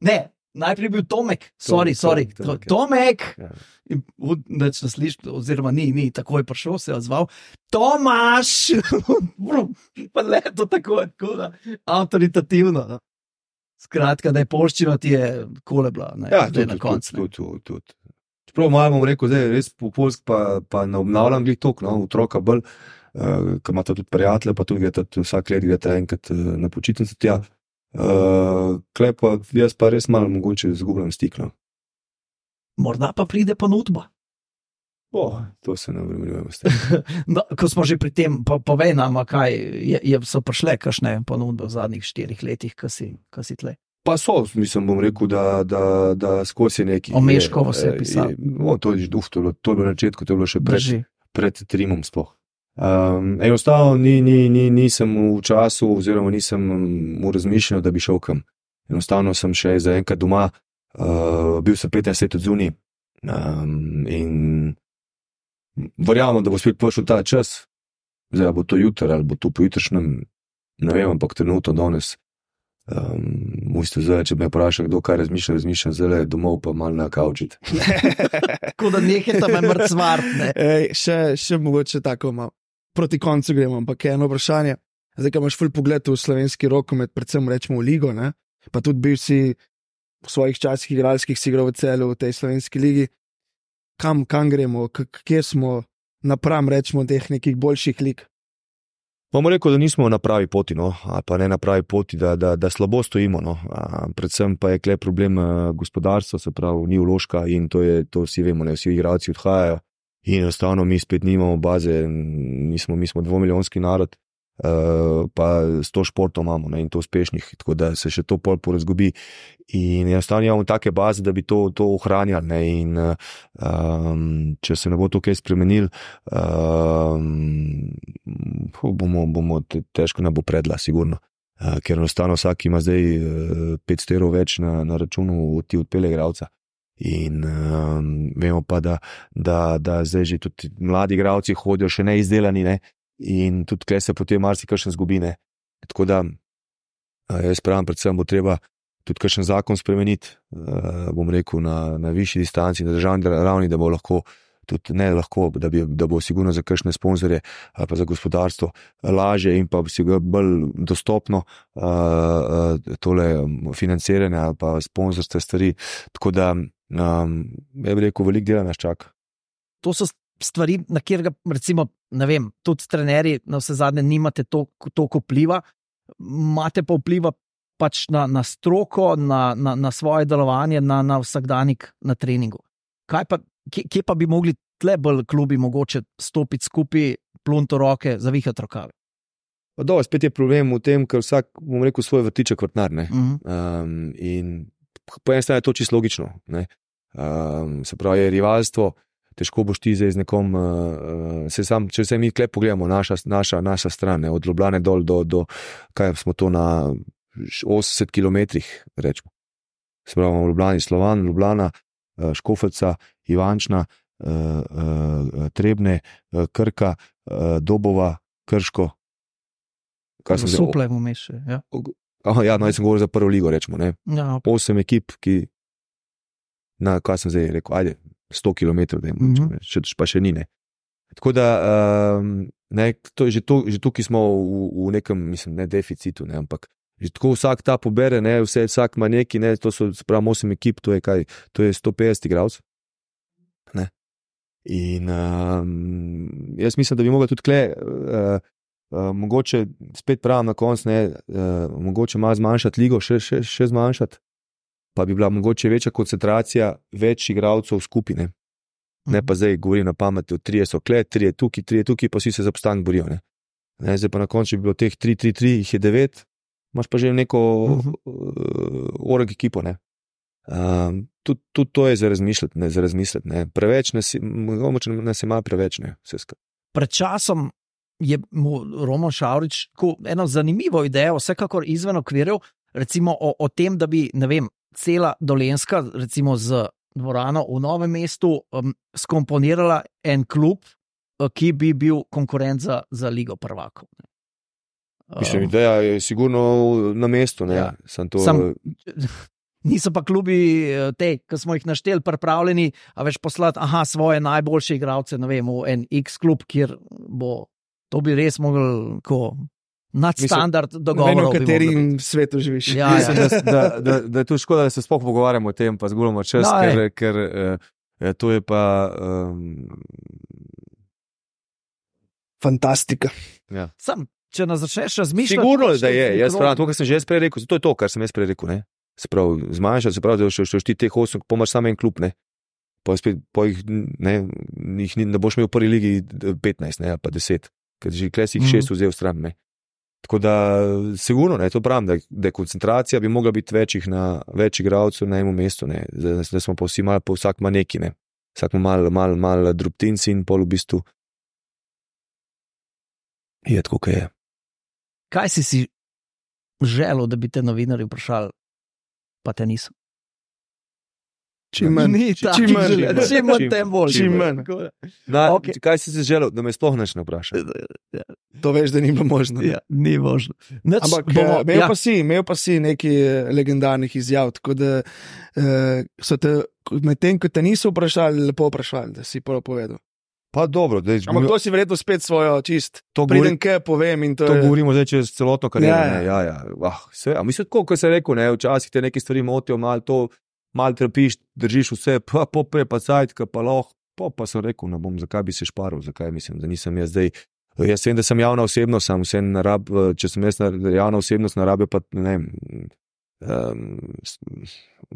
ne, najprej bil Tomek, sorry, sorry, Tomek, Tomek. Ja. In neč nas sliš, oziroma ni, ni, takoj prišel, se je odzval, Tomaš, pa leto tako, tako da, avtoritativno, no. Skratka, da je polščina ti je kole bila, ne, ja, tudi, na koncu. Tudi, tudi, tudi. Čeprav malo bom rekel, zdaj res po polsk pa, pa ne obnavljam glih tok, no, otroka bolj, uh, ko imata tudi prijatelje, pa tudi gledate, vsak let gledate enkrat uh, na počitnice tja. Uh, klej pa, jaz pa res malo mogoče zgubljam stik, no. Morda pa pride ponudba. O, to se ne vremenujemo s tem. No, ko smo že pri tem, pa povej nam, kaj je, je, so prišle kakšne ponudbe v zadnjih štirih letih, ko si, ko si tle. Pa so, mislim, bom rekel, da, da, da skozi neki... O Meškovo se je pisal. O, to je duh, to je bilo na začetku, to je bilo še pred, pred Trimom sploh. Um, enostavno ni, ni, ni, nisem v času oziroma nisem v razmišljanju, da bi šel kam. Enostavno sem še za enkrat doma, uh, bil sem petnajst let od zunaj um, in verjamem, da bo spet prišel ta čas, zdaj bo to jutri ali bo to pojutrišnjem, ne vem, ampak trenutno danes. Um, Mujste zdaj, če me vpraša, kdo kaj razmišlja, razmišljam zdaj domov pa malo na kaučit. Tako da nekaj tam je mrcvart, ne? Ej, še, še mogoče tako malo. Proti koncu gremo, ampak je eno vprašanje. Zdaj, ko imaš ful pogled v slovenski rokomet, predvsem rečemo v ligo, ne? Pa tudi bil si v svojih časih igralskih si igral v Celju v tej slovenski ligi. Kam, kam gremo, kje smo napram, rečemo, teh nekih boljših lig? Bomo rekel, da nismo na pravi poti, no, ali pa ne na pravi poti, da, da, da slabo stojimo, no. A, predvsem pa je kle problem gospodarstva, se pravi, ni vložka in to je, to vsi vemo, ne, vsi igralci odhajajo in enostavno mi spet nimamo baze, nismo, mi smo dvomilijonski narod, uh, pa sto športov imamo, ne, in to uspešnih, tako da se še to pol porazgubi in enostavno imamo take baze, da bi to, to ohranjali, ne, in um, če se ne bo to kaj spremenil, um, bomo, bomo težko ne bo predla, sigurno, uh, ker enostavno vsak ima zdaj uh, petsto evrov več na, na računu, ti odpelje igralca. In um, vemo pa, da, da, da zdaj že tudi mladi igralci hodijo še neizdelani, ne? In tudi kle se potem marsikaj zgubi. Ne? Tako da jaz pravim, predvsem bo treba tudi kakšen zakon spremeniti, uh, bom rekel, na, na višji distanci, na državni ravni, da bo lahko tudi ne lahko, da, bi, da bo sigurno za kakšne sponzorje ali pa za gospodarstvo lažje in pa si ga bolj dostopno uh, uh, tole financiranje ali pa sponzorske stvari. Tako da, um, ja bi rekel, veliko dela nas čaka. To so stvari, na kjer ga, recimo, ne vem, tudi trenerji na vse zadnje nimate toliko vpliva, imate pa vpliva pač na, na stroko, na, na, na svoje delovanje, na, na vsakdanik na treningu. Kaj pa Kje, kje pa bi mogli tle bolj klubi mogoče stopiti skupaj, plunto roke, zavihati rokave? Pa do, spet je problem v tem, ker vsak, bom rekel, svoj vrtiček vrtnar. Ne? Uh-huh. Um, in po eni strani je to čisto logično. Ne? Um, se pravi, je rivalstvo, težko boš ti zdaj z nekom, uh, se sam, če se mi tle pogledamo, naša, naša, naša stran, ne? Od Ljubljane dol do, do, kaj smo to na osemdeset kilometrih, rečemo. Se pravi, v Ljubljani Slovan, Ljubljana, Škofljica, Ivančna, Trebne, Krka, Dobova, Krško. Suple v meše. Ja. Ja, no, jaz sem govoril za prvo ligo, rečemo. Ne? Ja, okay. Osem ekip, ki, na kaj sem zdaj rekel, ajde, sto kilometrov, da jim rečemo, še, pa še ni. Ne? Tako da, um, ne, to, že, to, že tukaj smo v, v nekem, mislim, ne deficitu, ne, ampak že tako vsak ta pobere, ne, vse, vsak ima neki, ne, to so spravo osem ekip, to je kaj, to je sto petdeset igralcev. Ne. In um, jaz mislim, da bi mogla tudi kle, uh, uh, mogoče spet pravim na koncu, ne, uh, mogoče malo zmanjšati ligo, še, še, še zmanjšati, pa bi bila mogoče večja koncentracija več igralcev v skupine. Ne pa zdaj govorim na pameti, od trije so kle, trije tukaj, trije tukaj, pa vsi se za obstanek borijo. Ne. Ne, zdaj pa na koncu bi bilo teh tri, tri, tri, jih je devet, imaš pa že neko uh-huh. uh, org ekipo. Ne. Um, tudi, tudi to je za razmišljati, ne, za razmišljati, ne. Preveč nas, mogoče nas ima preveč, ne, vse skupaj. Pred časom je mu Roman Šavrič eno zanimivo idejo, vsekakor izven okvirjev, recimo o, o tem, da bi, ne vem, cela Dolenjska, recimo z dvorano v Novem mestu, um, skomponirala en klub, ki bi bil konkurent za, za Ligo prvakov. Mislim, ideja je sigurno na mestu. Ne? Ja. Sam to... Sam, niso pa klubi te, ki smo jih našteli, pripravljeni, a veš poslati aha, svoje najboljše igralce, ne vem, v en X klub, kjer bo, to bi res mogel ko nadstandard dogovorov. V katerem svetu živiš. Ja, ja. Mislim, da, da, da, da je to škoda, da se sploh pogovarjamo o tem, pa zgubljamo čas, no, ker, ker eh, to je pa... Um... Fantastika. Ja. Sam, če nas začneš razmišljati... Sigurno, da je. Jaz pravim, to, kar sem že jaz prej rekel, to je to, kar sem jaz prej rekel. Ne? Se pravi, zmanjšati, se pravi, da še ti teh osem, pomaš samo en klub, ne? Pa spet, po jih, ne, jih ne boš imel v prvi ligi petnajst, ne, ali pa deset, ker že kles jih šest vzel v stran, ne. Tako da, sigurno, ne, to pravim, da, da koncentracija bi mogla biti večjih na več igralcev na enem mestu, ne, da, da smo pa vsi malo, pa vsak ima neki, ne, vsak ima malo, malo, malo drobtinci in pol v bistvu je tako, kaj je. Kaj si si želel, da bi te novinarji vprašali, pa te niso? Čim manj, čim manj, čim manj, tem bolj. Čim manj. Okay. Kaj si si želel, da me sploh neč ne vpraša? To veš, da ni bilo možno. Ja, ni možno. Nač, Ampak bomo, imel, ja. pa si, imel pa si nekaj legendarnih izjav, tako da uh, so te, med tem, ko te niso vprašali, lepo vprašali, da si prvo povedal. Pa dobro. Dej, Ampak to si verjetno spet svojo čist. Pridem, kaj povem in to, to je... govorimo zdaj čez celotno kariero. Ja, ne, ja, ja. Ah, vse, a mislim, tako, kot se je rekel, ne, včasih te neke stvari motijo, malo to, malo trpiš, držiš vse, pa popre, pa cajtka, pa loh, pa, pa sem rekel, ne bom, zakaj bi se šparil, zakaj mislim, da nisem jaz zdaj. Jaz vem, da sem javna osebnost, sem vse narab, če sem jaz javna osebnost, narabe pa, ne vem, um,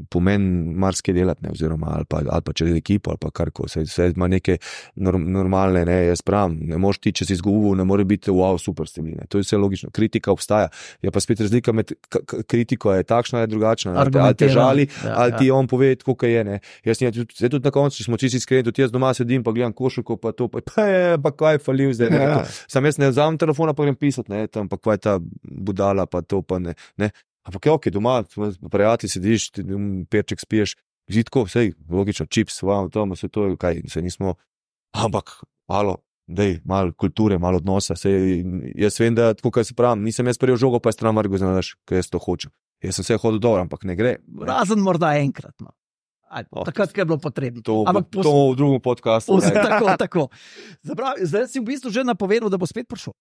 pomen marsikaj delati, ne, oziroma ali pa, ali pa čez ekipo, ali pa karko, vse, vse ima neke norm, normalne, ne, jaz pravim, ne moš ti, če si izgubil, ne more biti wow, super ste bili, ne, to je vse logično, kritika obstaja, je pa spet razlika med k- k- kritiko je takšna, je drugačna, ali te, ali te žali, ja, ali ti ja. On pove, tako kaj je, ne, jaz ne, zdaj tudi na koncu, če smo čisti iskreni, tudi jaz doma sedim, pa gledam košarko, pa to, pa, pa je, pa kaj je falil zdaj, ne, ja. Sam jaz ne vzamem telefona, pa grem pisati, ne, tam, pa kaj je ta budala, pa to, pa ne, ne. Ampak je ok, doma, prijatelji sediš, perček spiješ, Žitko, vse, logično, čips, vam, tam, vse to, kaj, se nismo, ampak, alo, dej, malo kulture, malo odnosa, sej, jaz vem, da, tako kaj se pravim, nisem jaz prijel žogo, pa je stran Margo, znaš, kaj jaz to hočem. Jaz sem se hodil dobro, ampak ne gre. Razen morda enkrat, no. Aj, oh, takrat, ko je bilo potrebno. To, pos... to v drugem podcastu. Tako, tako. Zapravi, zdaj si v bistvu že napovedal, da bo spet prišel.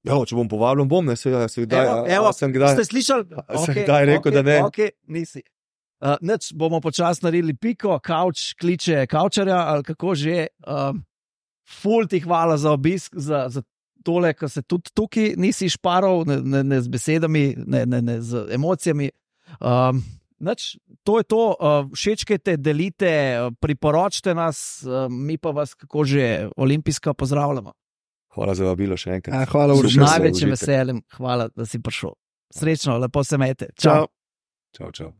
Ja, če bom povabljen, bom, ne, se, se kdaj, evo, evo, sem kdaj, ste slišali? Okay, sem kdaj rekel, okay, da ne. Okay, nisi. Uh, neč, bomo počas naredili piko, kavč, kliče kavčarja, ali kako že. Uh, ful ti hvala za obisk, za, za tole, ko se tudi tukaj nisi šparal, ne, ne, ne z besedami, ne, ne, ne z emocijami. Um, Nač, to je to, uh, všečkajte, delite, uh, priporočite nas, uh, mi pa vas, kako že, olimpijska pozdravljamo. Hvala za vabilo še enkrat. A, hvala, Uroš. Z največjim veseljem, hvala, da si prišel. Srečno, lepo se imejte. Čau. Čau, čau.